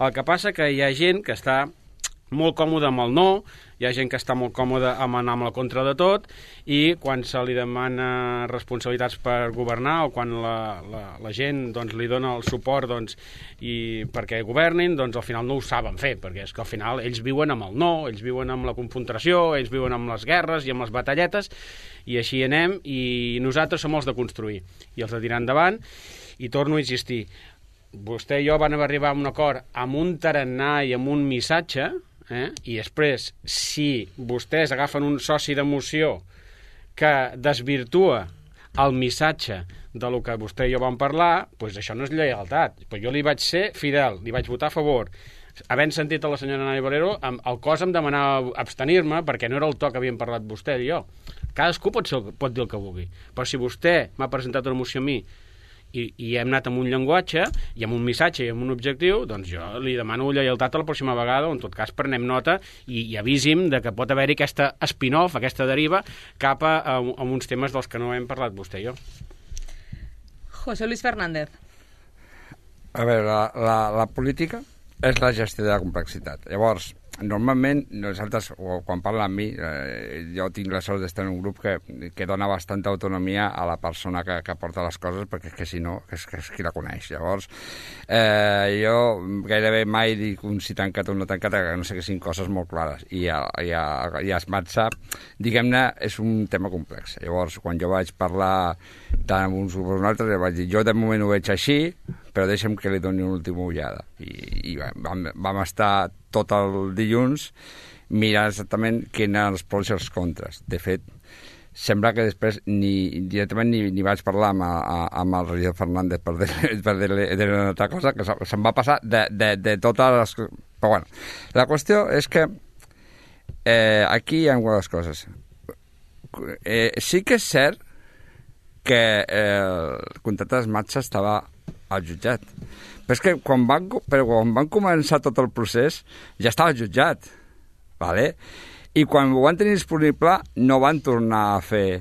El que passa que hi ha gent que està molt còmode amb el no, hi ha gent que està molt còmode amb anar amb la contra de tot, i quan se li demana responsabilitats per governar o quan la, la, la gent doncs, li dona el suport doncs, i perquè governin, doncs al final no ho saben fer, perquè és que al final ells viuen amb el no, ells viuen amb la confrontació, ells viuen amb les guerres i amb les batalletes, i així anem, i nosaltres som els de construir, i els de tirar endavant, i torno a insistir, vostè i jo van arribar a un acord amb un tarannà i amb un missatge, Eh? i després, si vostès agafen un soci de moció que desvirtua el missatge de lo que vostè i jo vam parlar, doncs això no és lleialtat. Pues jo li vaig ser fidel, li vaig votar a favor. Havent sentit a la senyora Nani Valero, el cos em demanava abstenir-me perquè no era el to que havíem parlat vostè i jo. Cadascú pot, ser, pot dir el que vulgui, però si vostè m'ha presentat una moció a mi I, i hem anat amb un llenguatge i amb un missatge i amb un objectiu, doncs jo li demano lleialtat a la pròxima vegada, o en tot cas prenem nota i, i avisim de que pot haver-hi aquesta spin-off, aquesta deriva cap a, a, a uns temes dels que no hem parlat vostè i jo. José Luis Fernández. A veure, la, la, la política és la gestió de la complexitat. Llavors, normalment, nosaltres, quan parla amb mi, eh, jo tinc la sort d'estar en un grup que, que dona bastanta autonomia a la persona que, que porta les coses, perquè és que si no, és, que és qui la coneix. Llavors, eh, jo gairebé mai dic un si tancat o no tancat, que no sé que siguin coses molt clares. I a, i a, i a Smatsa, diguem-ne, és un tema complex. Llavors, quan jo vaig parlar tant amb uns grups com altres, vaig dir, jo de moment ho veig així, però deixa'm que li doni una última ullada. I, i vam, vam estar tot el dilluns mirant exactament quins eren els pros i els contres. De fet, sembla que després ni, directament ni, ni vaig parlar amb, a, amb el regidor Fernández per dir-li dir una altra cosa, que se'm va passar de, de, de totes les... Però bueno, la qüestió és que eh, aquí hi ha algunes coses. Eh, sí que és cert que eh, el contracte d'Smatsa estava al jutjat. Però és que quan van, però quan van començar tot el procés ja estava jutjat. Vale? I quan ho van tenir disponible no van tornar a fer...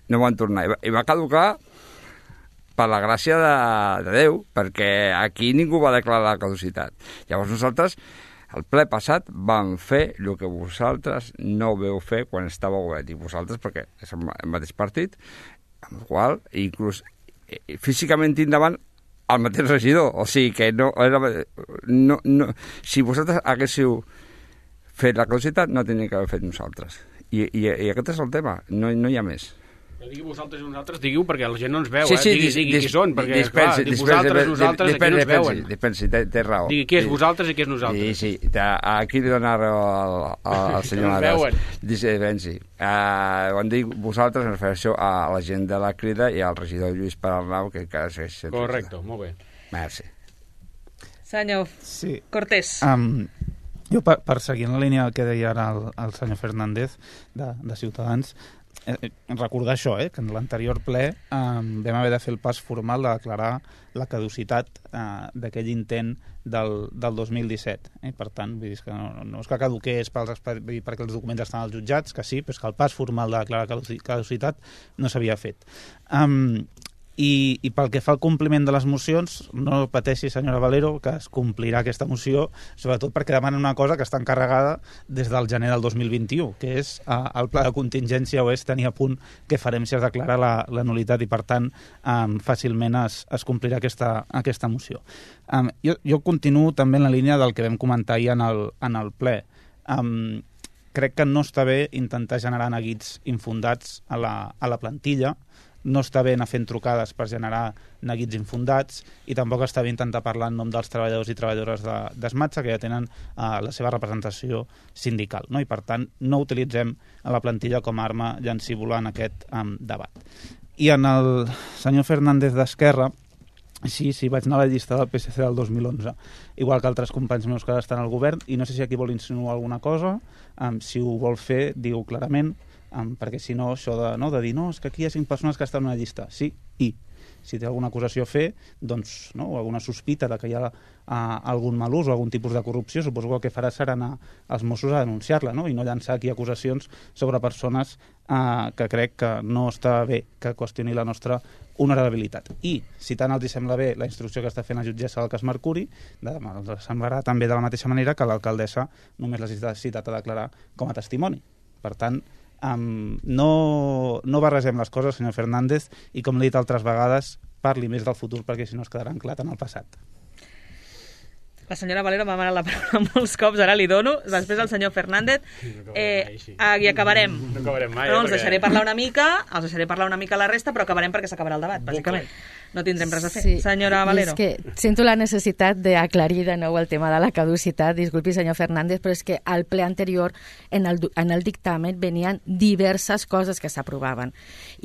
No van tornar. I va, i va caducar per la gràcia de, de Déu, perquè aquí ningú va declarar la caducitat. Llavors nosaltres, el ple passat, vam fer el que vosaltres no veu fer quan estava govern. I vosaltres, perquè és el mateix partit, amb el qual inclús físicament endavant el mateix regidor, o sigui que no, no, no, si vosaltres haguéssiu fet la caducitat no tenia que haver fet nosaltres i, i, i aquest és el tema, no, no hi ha més. No digui vosaltres i nosaltres, diguiu perquè la gent no ens veu, sí, sí, eh? digui, digui qui són, perquè dispensi, clar, vosaltres, nosaltres, aquí no ens veuen. Dispensi, té, té raó. Digui qui és vosaltres i qui és nosaltres. Sí, sí, aquí li dona raó al, al, al senyor Matas. Dispensi. Uh, quan dic vosaltres em refereixo a la gent de la Crida i al regidor Lluís Perarnau, que encara segueix... Correcte, molt bé. Merci. Senyor sí. Cortés. Um, jo, per, per seguir en la línia que deia ara el, el senyor Fernández, de, de Ciutadans, Eh, recordar això, eh, que en l'anterior ple eh, vam haver de fer el pas formal de declarar la caducitat eh, d'aquell intent del, del dos mil disset. Eh? Per tant, vull dir que no, no és que caduqués pels, perquè els documents estan als jutjats, que sí, però és que el pas formal de declarar caducitat no s'havia fet. Um, I, i pel que fa al compliment de les mocions, no pateixi, senyora Valero, que es complirà aquesta moció, sobretot perquè demanen una cosa que està encarregada des del gener del dos mil vint-i-u, que és eh, el pla de contingència oest tenir a punt que farem si es declara la, la nulitat i, per tant, eh, fàcilment es, es complirà aquesta, aquesta moció. Eh, jo, jo continuo també en la línia del que vam comentar ahir en el, en el ple. Eh, crec que no està bé intentar generar neguits infundats a la, a la plantilla, no està bé anar fent trucades per generar neguits infundats i tampoc està bé intentar parlar en nom dels treballadors i treballadores de, d'Esmatxa, que ja tenen uh, la seva representació sindical, no? I per tant no utilitzem a la plantilla com a arma llancívola en aquest um, debat. I en el senyor Fernández d'Esquerra, sí, sí, vaig anar a la llista del P S C del dos mil onze, igual que altres companys meus que ara estan al govern, i no sé si aquí vol insinuar alguna cosa, um, si ho vol fer, diu clarament, Um, perquè si no, això de, no, de dir no, és que aquí hi ha cinc persones que estan en una llista, sí, i si té alguna acusació a fer, doncs, no, o alguna sospita de que hi ha uh, algun mal ús o algun tipus de corrupció, suposo que el que farà serà anar als Mossos a denunciar-la, no? I no llançar aquí acusacions sobre persones uh, que crec que no està bé que qüestioni la nostra honorabilitat. I, si tant els sembla bé la instrucció que està fent la jutgessa del cas Mercuri, de, els semblarà també de la mateixa manera que l'alcaldessa només l'ha citat a declarar com a testimoni. Per tant, Um, no, no barregem les coses, senyor Fernández, i com l'he dit altres vegades, parli més del futur perquè si no es quedarà anclat en el passat. La senyora Valero m'ha demanat la paraula molts cops, ara li dono, després el senyor Fernández, eh, i acabarem. No acabarem mai. No, els deixaré parlar una mica, els deixaré parlar una mica la resta, però acabarem perquè s'acabarà el debat, bàsicament. No tindrem res a fer. Sí. Senyora Valero. És que sento la necessitat d'aclarir de nou el tema de la caducitat. Disculpi, senyor Fernández, però és que al ple anterior, en el, en el dictamen, venien diverses coses que s'aprovaven.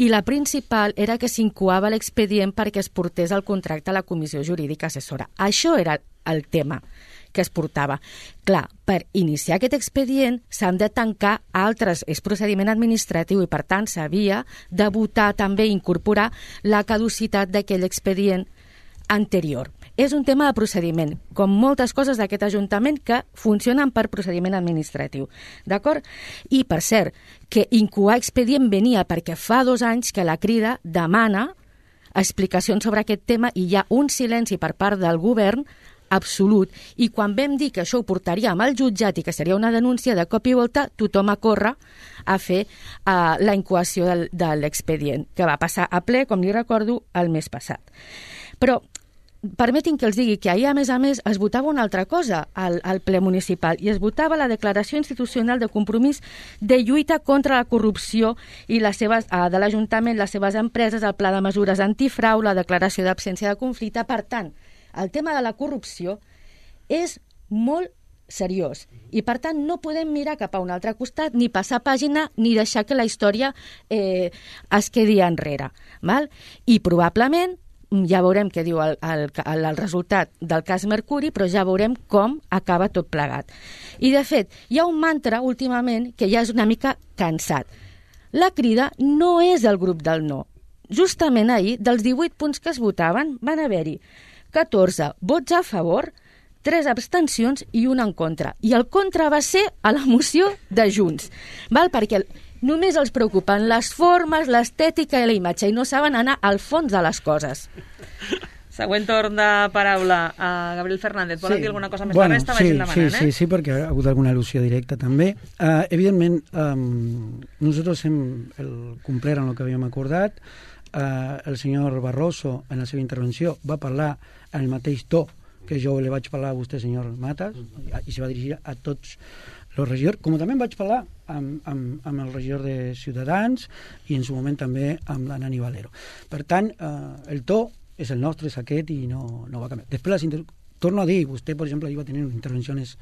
I la principal era que s'incoava l'expedient perquè es portés el contracte a la Comissió Jurídica Assessora. Això era el tema que es portava. Clar, per iniciar aquest expedient s'han de tancar altres, és procediment administratiu i per tant s'havia de votar també incorporar la caducitat d'aquell expedient anterior. És un tema de procediment, com moltes coses d'aquest Ajuntament que funcionen per procediment administratiu. D'acord? I, per cert, que incoar expedient venia perquè fa dos anys que la Crida demana explicacions sobre aquest tema i hi ha un silenci per part del govern absolut, i quan vam dir que això ho portaríem al jutjat i que seria una denúncia, de cop i volta tothom a córrer a fer uh, la incoació del, de l'expedient, que va passar a ple, com li recordo, el mes passat. Però permetin que els digui que ahir, a més a més, es votava una altra cosa al, al ple municipal, i es votava la declaració institucional de compromís de lluita contra la corrupció i les seves, uh, de l'Ajuntament, les seves empreses, el pla de mesures antifrau, la declaració d'absència de conflicte. Per tant, el tema de la corrupció és molt seriós i, per tant, no podem mirar cap a un altre costat, ni passar pàgina, ni deixar que la història eh, es quedi enrere. Val? I probablement ja veurem què diu el, el, el, el resultat del cas Mercuri, però ja veurem com acaba tot plegat. I, de fet, hi ha un mantra últimament que ja és una mica cansat. La Crida no és el grup del no. Justament ahir, dels divuit punts que es votaven, van haver-hi catorze vots a favor, tres abstencions i un en contra. I el contra va ser a la moció de Junts. Val? Perquè només els preocupen les formes, l'estètica i la imatge i no saben anar al fons de les coses. Següent torn de paraula. Uh, Gabriel Fernández, volen sí. dir alguna cosa més bueno, de resta? Sí, Vagin demanant, sí, sí, eh? sí, perquè ha hagut alguna al·lusió directa també. Uh, evidentment, um, nosaltres hem el complert en el que havíem acordat. Uh, el senyor Barroso, en la seva intervenció, va parlar en el mateix to que jo li vaig parlar a vostè, senyor Matas, i se va dirigir a tots els regidors, com també vaig parlar amb, amb, amb el regidor de Ciutadans i en su moment també amb la Nani Valero. Per tant, eh, el to és el nostre, és aquest i no, no va canviar. Després, les inter... torno a dir, vostè, per exemple, va tenir intervencions,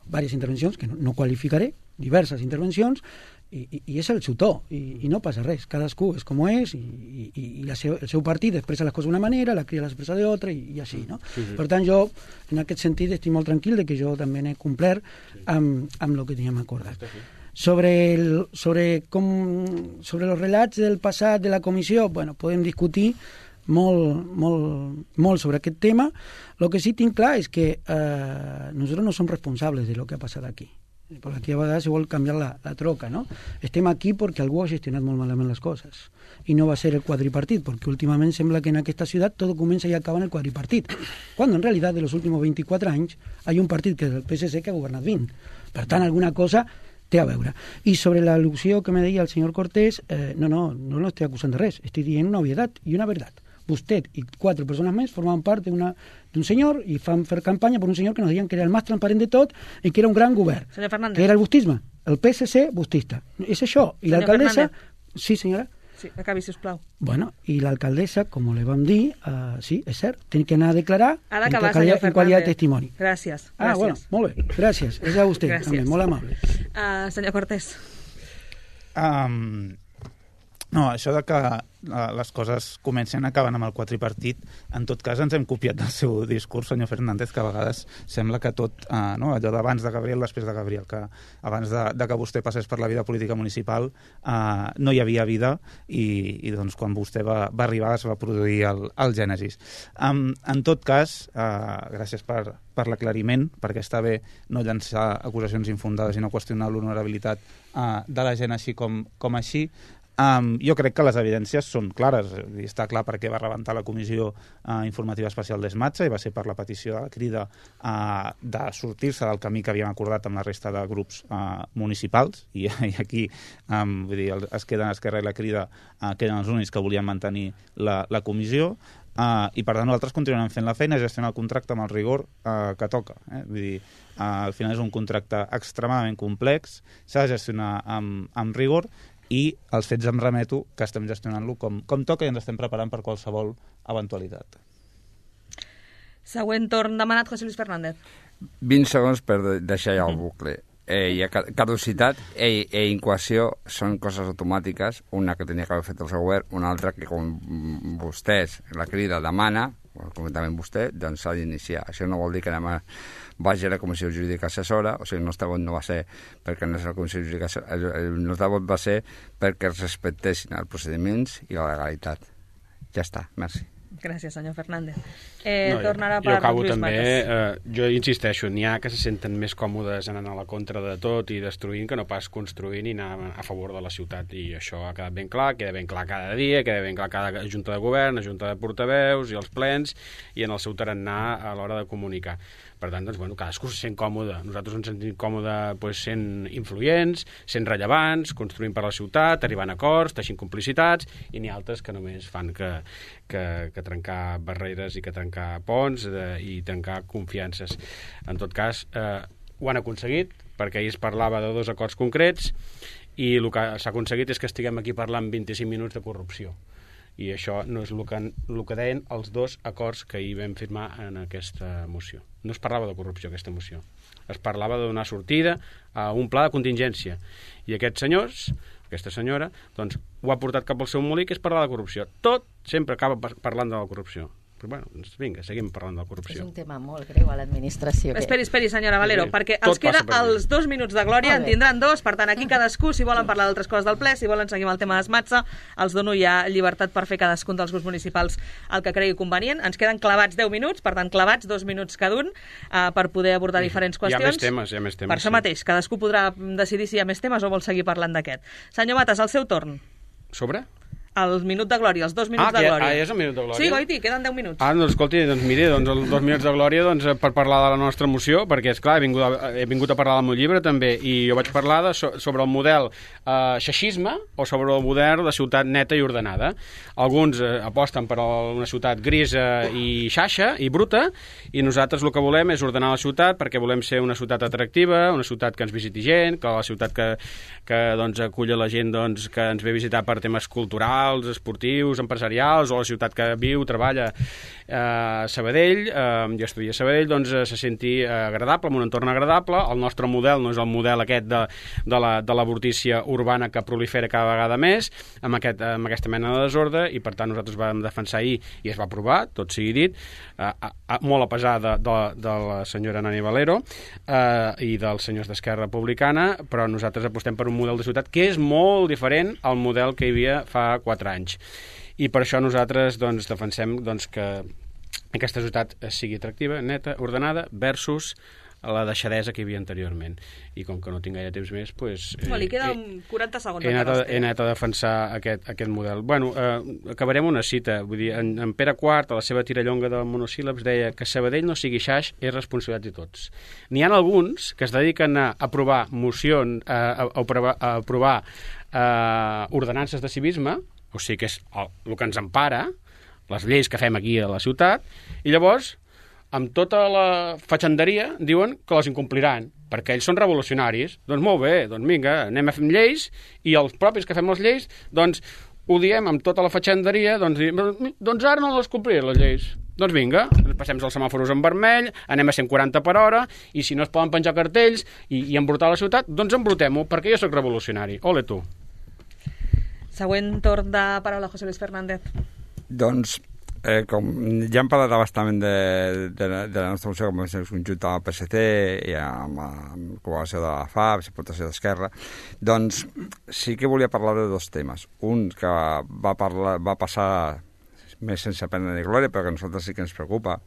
diverses intervencions, que no, no qualificaré, diverses intervencions, i, i, i és el seu to, i, i no passa res, cadascú és com és, i, i, i la seu, el seu partit expressa les coses d'una manera, la Crida l'expressa d'altra, i, i així, no? Sí, sí. Per tant, jo, en aquest sentit, estic molt tranquil de que jo també n'he complert amb, amb el que teníem acordat. Sobre, el, sobre, com, sobre els relats del passat de la comissió, bueno, podem discutir molt, molt, molt sobre aquest tema. El que sí tinc clar és que eh, nosaltres no som responsables de lo que ha passat aquí. perquè aquí a vegades se vol canviar la, la troca, no? Estem aquí perquè algú ha gestionat molt malament les coses i no va ser el quadripartit, perquè últimament sembla que en aquesta ciutat tot comença i acaba en el quadripartit, quan en realitat de los últimos veinticuatro anys hay un partit que és el P S C que ha governat vint. Per tant, alguna cosa té a veure. I sobre l'al·lusió que me deia el senyor Cortés, eh, no, no, no lo estoy acusant de res, estic dient una obvietat i una veritat. Vostè i quatre persones més formaven part d'un senyor i fan fer campanya per un senyor que nos deien que era el més transparent de tot i que era un gran govern. Senyor Fernández. Que era el bustisme. El P S C, bustista. És això. I l'alcaldessa... Sí, senyora? Sí, acabi, sisplau. Bueno, i l'alcaldessa, com li vam dir, uh, sí, és cert, té que anar a declarar ha d'acabar, en, qualitat, en qualitat de testimoni. Gràcies. Ah, gràcies. bueno, molt bé. Gràcies. És a vostè, gràcies. també, molt amable. Uh, senyor Cortés. Um, no, això de que uh, les coses comencen acabant amb el quadripartit, en tot cas ens hem copiat del seu discurs, senyor Fernández, que a vegades sembla que tot, uh, no, allò d'abans de Gabriel, després de Gabriel, que abans de, de que vostè passés per la vida política municipal uh, no hi havia vida i, i doncs quan vostè va, va arribar es va produir el, el Gènesis. Um, en tot cas, uh, gràcies per, per l'aclariment, perquè està bé no llançar acusacions infundades i no qüestionar l'honorabilitat uh, de la gent així com, com així. Um, jo crec que les evidències són clares. I està clar perquè va rebentar la Comissió uh, Informativa Especial d'Esmatxa i va ser per la petició de la Crida uh, de sortir-se del camí que havíem acordat amb la resta de grups uh, municipals i, i aquí um, vull dir, es queden Esquerra i la Crida uh, que eren els únics que volien mantenir la, la comissió. Uh, i per tant nosaltres continuem fent la feina, gestionar el contracte amb el rigor uh, que toca, eh? Vull dir, uh, al final és un contracte extremadament complex, s'ha de gestionar amb, amb rigor i els fets em remeto que estem gestionant-lo com, com toca i ens estem preparant per qualsevol eventualitat. Següent torn demanat, José Luis Fernández. vint segons per deixar ja el bucle. Eh, hi ha caducitat e, e incoació són coses automàtiques, una que tenia que haver fet el seu govern, una altra que com vostès, la Crida demana, com també vostè, doncs s'ha d'iniciar. Això no vol dir que demà vagi a la Comissió Jurídica Assessora, o sigui, el nostre vot no va ser perquè no és la Comissió Jurídica Assessora, el, el nostre vot va ser perquè es respectessin els procediments i la legalitat. Ja està, merci. Gràcies, senyor Fernández. Eh, no, tornarà jo, per jo acabo Lluís també, Matas. eh, jo insisteixo, n'hi ha que se senten més còmodes anant a la contra de tot i destruint que no pas construint i anar a favor de la ciutat, i això ha quedat ben clar, queda ben clar cada dia, queda ben clar cada junta de govern, junta de portaveus i els plens i en el seu tarannà a l'hora de comunicar. Per tant, doncs, bueno, cadascú se sent còmode. Nosaltres ens sentim còmode pues, sent influents, sent rellevants, construint per la ciutat, arribant a acords, teixint complicitats, i n'hi ha altres que només fan que, que, que trencar barreres i que trencar ponts de, i trencar confiances. En tot cas, eh, ho han aconseguit, perquè ahir es parlava de dos acords concrets i el que s'ha aconseguit és que estiguem aquí parlant vint-i-cinc minuts de corrupció. I això no és el que, el que deien els dos acords que ahir vam firmar en aquesta moció. No es parlava de corrupció, aquesta moció. Es parlava de donar sortida a un pla de contingència. I aquests senyors, aquesta senyora, doncs, ho ha portat cap al seu molí, que és parlar de corrupció. Tot sempre acaba parlant de la corrupció. Però, bueno, doncs vinga, seguim parlant de la corrupció. És un tema molt greu a l'administració. Que... Esperi, esperi, senyora Valero, sí, perquè tot els queda passa per els dos minuts de glòria, en tindran dos, per tant, aquí cadascú, si volen parlar d'altres coses del ple, si volen seguir amb el tema d'Esmatxa, els dono ja llibertat per fer cadascun dels grups municipals el que cregui convenient. Ens queden clavats deu minuts, per tant, clavats dos minuts cada un, eh, per poder abordar diferents qüestions. Hi ha més temes, hi ha més temes. Per això sí. mateix, cadascú podrà decidir si hi ha més temes o vol seguir parlant d'aquest. Senyor Matas, el seu torn. Sobre? El minut de glòria, els dos minuts ah, de que, glòria. Ah, és el minut de glòria? Sí, Goiti, queden deu minuts. Ah, doncs escolti, doncs miri, doncs els dos minuts de glòria doncs, per parlar de la nostra moció, perquè, és clar he vingut a, he vingut a parlar del meu llibre també, i jo vaig parlar de, sobre el model eh, xeixisme o sobre el model de ciutat neta i ordenada. Alguns eh, aposten per una ciutat grisa i xaixa i bruta, i nosaltres el que volem és ordenar la ciutat perquè volem ser una ciutat atractiva, una ciutat que ens visiti gent, que la ciutat que, que doncs, acull la gent doncs, que ens ve a visitar per temes culturals, esportius, empresarials, o la ciutat que viu, treballa a Sabadell, eh, jo estudia a Sabadell, doncs se senti agradable, amb un entorn agradable. El nostre model no és el model aquest de, de, la, de l'avortícia urbana que prolifera cada vegada més, amb, aquest, amb aquesta mena de desordre, i per tant nosaltres vam defensar ahir, i es va aprovar, tot sigui dit, eh, a, a, molt a pesar de, de, de la senyora Nani Valero eh, i dels senyors d'Esquerra Republicana, però nosaltres apostem per un model de ciutat que és molt diferent al model que hi havia fa quatre anys. I per això nosaltres doncs, defensem doncs, que aquesta ciutat sigui atractiva, neta, ordenada, versus a la deixadesa que hi havia anteriorment. I com que no tinc gaire temps més, doncs... Eh, li queden eh, quaranta segons. He anat, a, he anat a defensar aquest, aquest model. Bueno, eh, acabarem una cita. Vull dir, en, en Pere quart, a la seva tirallonga de monosíl·labs, deia que Sabadell no sigui xaix és responsabilitat de tots. N'hi ha alguns que es dediquen a aprovar mocions, a, a, a aprovar, a aprovar eh, ordenances de civisme, o sigui que és el, el que ens empara, les lleis que fem aquí a la ciutat, i llavors amb tota la fatxanderia diuen que les incompliran, perquè ells són revolucionaris. Doncs molt bé, doncs vinga, anem a fer lleis, i els propis que fem les lleis, doncs ho diem amb tota la fatxanderia, doncs, doncs ara no les compliré, les lleis. Doncs vinga, passem els semàforos en vermell, anem a cent quaranta per hora, i si no es poden penjar cartells i, i embrutar la ciutat, doncs embrutem-ho, perquè jo sóc revolucionari. Ole tu. Següent torn de paraula, José Luis Fernández. Doncs, eh, com ja hem parlat bastament de, de, de la nostra moció, com és conjunta amb el P S C i amb la col·laboració de la F A B, l'aportació d'Esquerra, doncs sí que volia parlar de dos temes. Un que va, parlar, va passar més sense pena ni glòria, però que a nosaltres sí que ens preocupa,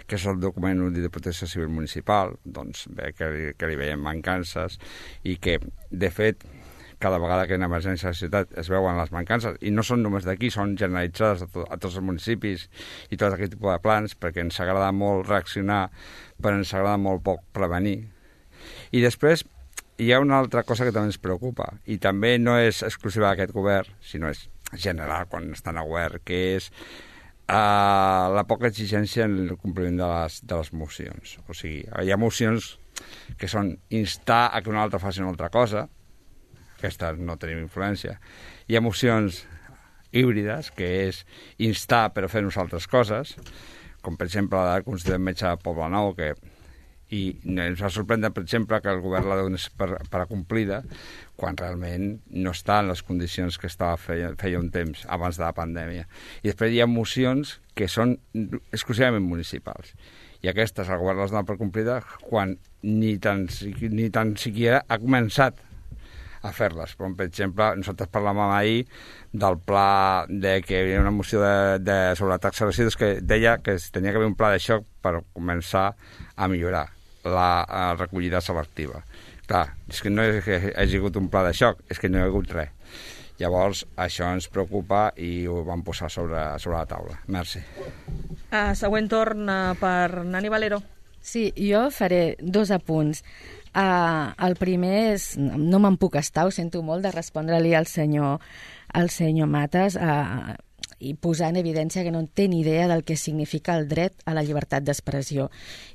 que és el document únic de protecció civil municipal, doncs bé, que, que li veiem mancances i que, de fet, cada vegada que hi ha una emergència a la ciutat es veuen les mancances, i no són només d'aquí, són generalitzades a, to a tots els municipis i tot aquest tipus de plans, perquè ens agrada molt reaccionar, però ens agrada molt poc prevenir. I després hi ha una altra cosa que també ens preocupa, i també no és exclusiva d'aquest govern, sinó és general quan estan a govern, que és uh, la poca exigència en el compliment de les, de les mocions. O sigui, hi ha mocions que són instar a que un altre faci una altra cosa, aquestes no tenim influència. Hi ha mocions híbrides, que és instar però fer nosaltres coses, com per exemple la del Consell de Metge de Poblenou, que i ens va sorprendre, per exemple, que el govern la donés per, per acomplida, quan realment no està en les condicions que estava feia, feia un temps, abans de la pandèmia. I després hi ha mocions que són exclusivament municipals. I aquestes el govern les dona per complida quan ni tan, ni tan siquiera ha començat a fer-les. Com, per exemple, nosaltres parlàvem ahir del pla de que hi havia una moció de, de, sobre la taxa de residus que deia que tenia que haver un pla de xoc per començar a millorar la, la recollida selectiva. Clar, és que no és que hagi hagut un pla de xoc, és que no hi ha hagut res. Llavors, això ens preocupa i ho vam posar sobre, sobre la taula. Merci. Uh, següent torn uh, per Nani Valero. Sí, jo faré dos apunts. Uh, el primer és, no me'n puc estar, ho sento molt, de respondre-li al senyor, al senyor Matas uh, i posar en evidència que no té ni idea del que significa el dret a la llibertat d'expressió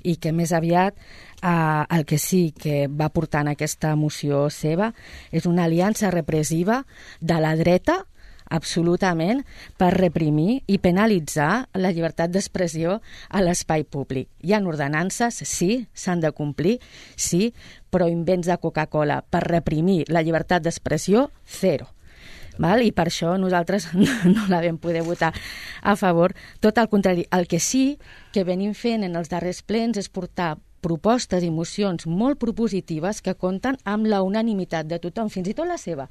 i que més aviat uh, el que sí que va portar en aquesta moció seva és una aliança repressiva de la dreta absolutament per reprimir i penalitzar la llibertat d'expressió a l'espai públic. Hi ha ordenances, sí, s'han de complir, sí, però invents de Coca-Cola per reprimir la llibertat d'expressió, zero. Val? I per això nosaltres no la vam poder votar a favor. Tot el contrari, el que sí que venim fent en els darrers plens és portar propostes i mocions molt propositives que compten amb la unanimitat de tothom, fins i tot la seva.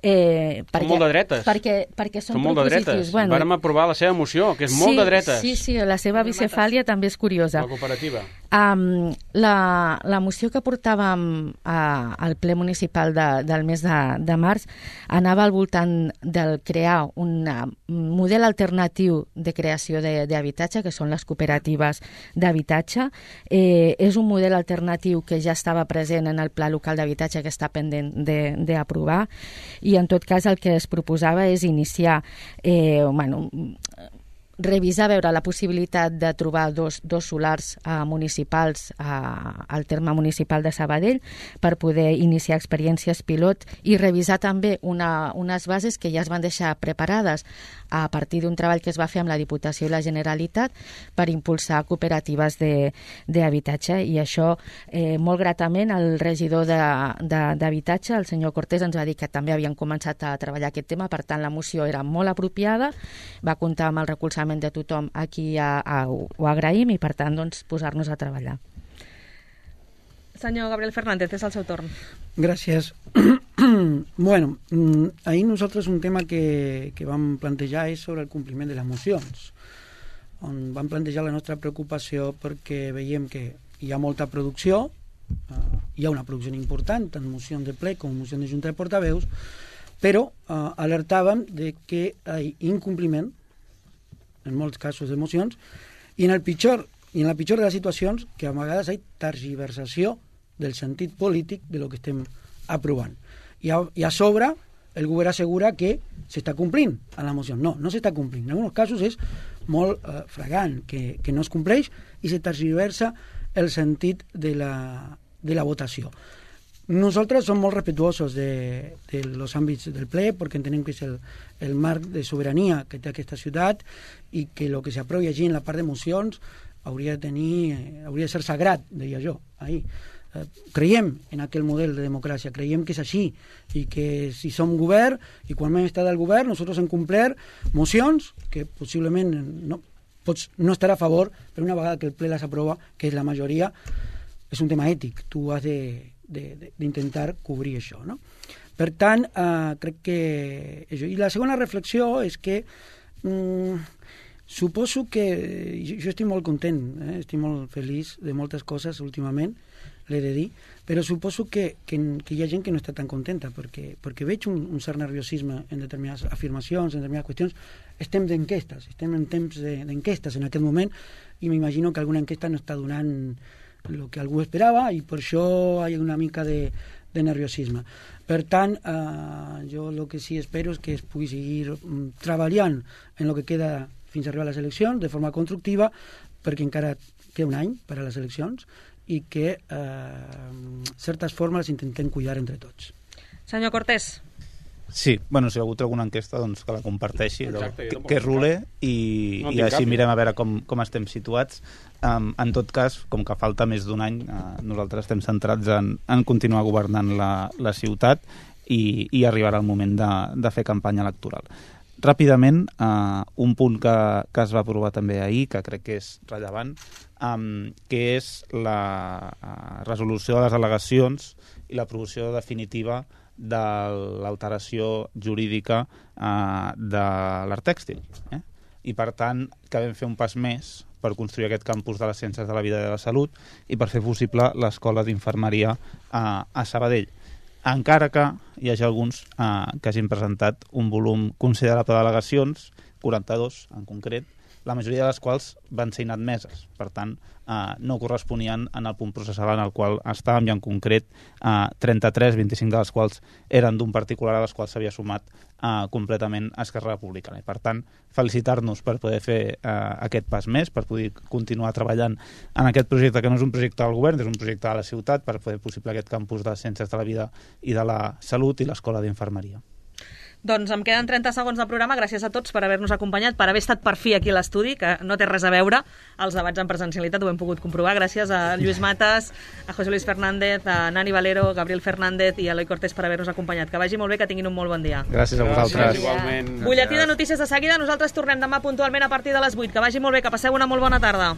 Eh, perquè, són molt de dretes. Perquè, perquè són, són molt de dretes. Bueno, vàrem aprovar la seva moció, que és sí, molt de dretes. Sí, sí, la seva bicefàlia també és curiosa. La cooperativa. Um, la, la moció que portàvem a, al ple municipal de, del mes de, de març anava al voltant del crear un model alternatiu de creació d'habitatge, que són les cooperatives d'habitatge. Eh, és un model alternatiu que ja estava present en el pla local d'habitatge que està pendent d'aprovar, i en tot cas el que es proposava és iniciar, eh, bueno, revisar, veure la possibilitat de trobar dos, dos solars eh, municipals eh, al terme municipal de Sabadell per poder iniciar experiències pilot i revisar també una, unes bases que ja es van deixar preparades a partir d'un treball que es va fer amb la Diputació i la Generalitat per impulsar cooperatives d'habitatge, i això eh, molt gratament el regidor d'habitatge, el senyor Cortés, ens va dir que també havien començat a treballar aquest tema, per tant la moció era molt apropiada, va comptar amb el recolzament de tothom, aquí a, a, ho agraïm, i per tant doncs, posar-nos a treballar. Senyor Gabriel Fernández, és el seu torn. Gràcies. Bueno, ahir nosaltres un tema que, que vam plantejar és sobre el compliment de les mocions, on vam plantejar la nostra preocupació perquè veiem que hi ha molta producció, uh, hi ha una producció important, tant mocions de ple com mocions de junta de portaveus, però uh, alertàvem de que hi ha incompliment, en molts casos de mocions, i en el pitjor, i en la pitjor de les situacions, que a vegades hi ha tergiversació del sentit polític de lo que estem aprovant. I a, i a sobre, el govern assegura que s'està complint en la moció. No, no s'està complint. En alguns casos és molt eh, fragant que, que no es compleix i se tergiversa el sentit de la, de la votació. Nosaltres som molt respetuosos de, de los àmbits del ple perquè entenem que és el, el marc de sobirania que té aquesta ciutat i que el que s'aprovi allí en la part de mocions hauria de tenir, hauria de ser sagrat, deia jo, ahir. Eh, creiem en aquell model de democràcia, creiem que és així i que si som govern i quan hem estat al govern nosaltres hem complert mocions que possiblement no, pots no estar a favor, però una vegada que el ple les aprova, que és la majoria, és un tema ètic, tu has de d'intentar cobrir això, no? Per tant, eh, crec que això. I la segona reflexió és que mm, suposo que jo, jo estic molt content, eh? Estic molt feliç de moltes coses últimament, l'he de dir, però suposo que, que, que hi ha gent que no està tan contenta perquè, perquè veig un, un cert nerviosisme en determinades afirmacions, en determinades qüestions. Estem d'enquestes, estem en temps d'enquestes en aquest moment i m'imagino que alguna enquesta no està donant el que algú esperava i per això hi ha una mica de, de nerviosisme. Per tant, eh, jo el que sí espero és que es pugui seguir mm, treballant en el que queda fins a arribar a les eleccions de forma constructiva, perquè encara queda un any per a les eleccions i que eh, certes formes les intentem cuidar entre tots. Senyor Cortés. Sí, bueno, si ha hagut alguna enquesta doncs que la comparteixi, Exacte, que, que rule i, no i així mirem a veure com, com estem situats. Um, en tot cas, com que falta més d'un any, uh, nosaltres estem centrats en, en continuar governant la, la ciutat i, i arribarà el moment de, de fer campanya electoral. Ràpidament, uh, un punt que, que es va aprovar també ahir, que crec que és rellevant, um, que és la uh, resolució de les al·legacions i l'aprovació definitiva de l'alteració jurídica eh, de l'art tèxtil. Eh? I, per tant, que vam fer un pas més per construir aquest campus de les ciències de la vida i de la salut i per fer possible l'escola d'infermeria eh, a Sabadell. Encara que hi hagi alguns eh, que hagin presentat un volum considerable d'al·legacions, quaranta-dos en concret, la majoria de les quals van ser inadmeses. Per tant, eh, no corresponien en el punt processal en el qual estàvem, i en concret eh, trenta-tres, vint-i-cinc de les quals eren d'un particular a les quals s'havia sumat eh, completament Esquerra Republicana. I, per tant, felicitar-nos per poder fer eh, aquest pas més, per poder continuar treballant en aquest projecte, que no és un projecte del govern, és un projecte de la ciutat, per fer possible aquest campus de Ciències de la Vida i de la Salut i l'Escola d'Infermeria. Doncs em queden trenta segons de programa. Gràcies a tots per haver-nos acompanyat, per haver estat per fi aquí a l'estudi, que no té res a veure els debats en presencialitat, ho hem pogut comprovar. Gràcies a Lluís Matas, a José Luis Fernández, a Nani Valero, Gabriel Fernández i a Eloi Cortés per haver-nos acompanyat. Que vagi molt bé, que tinguin un molt bon dia. Gràcies a vosaltres. Gràcies, igualment. Butlletí de notícies de seguida. Nosaltres tornem demà puntualment a partir de les vuit. Que vagi molt bé, que passeu una molt bona tarda.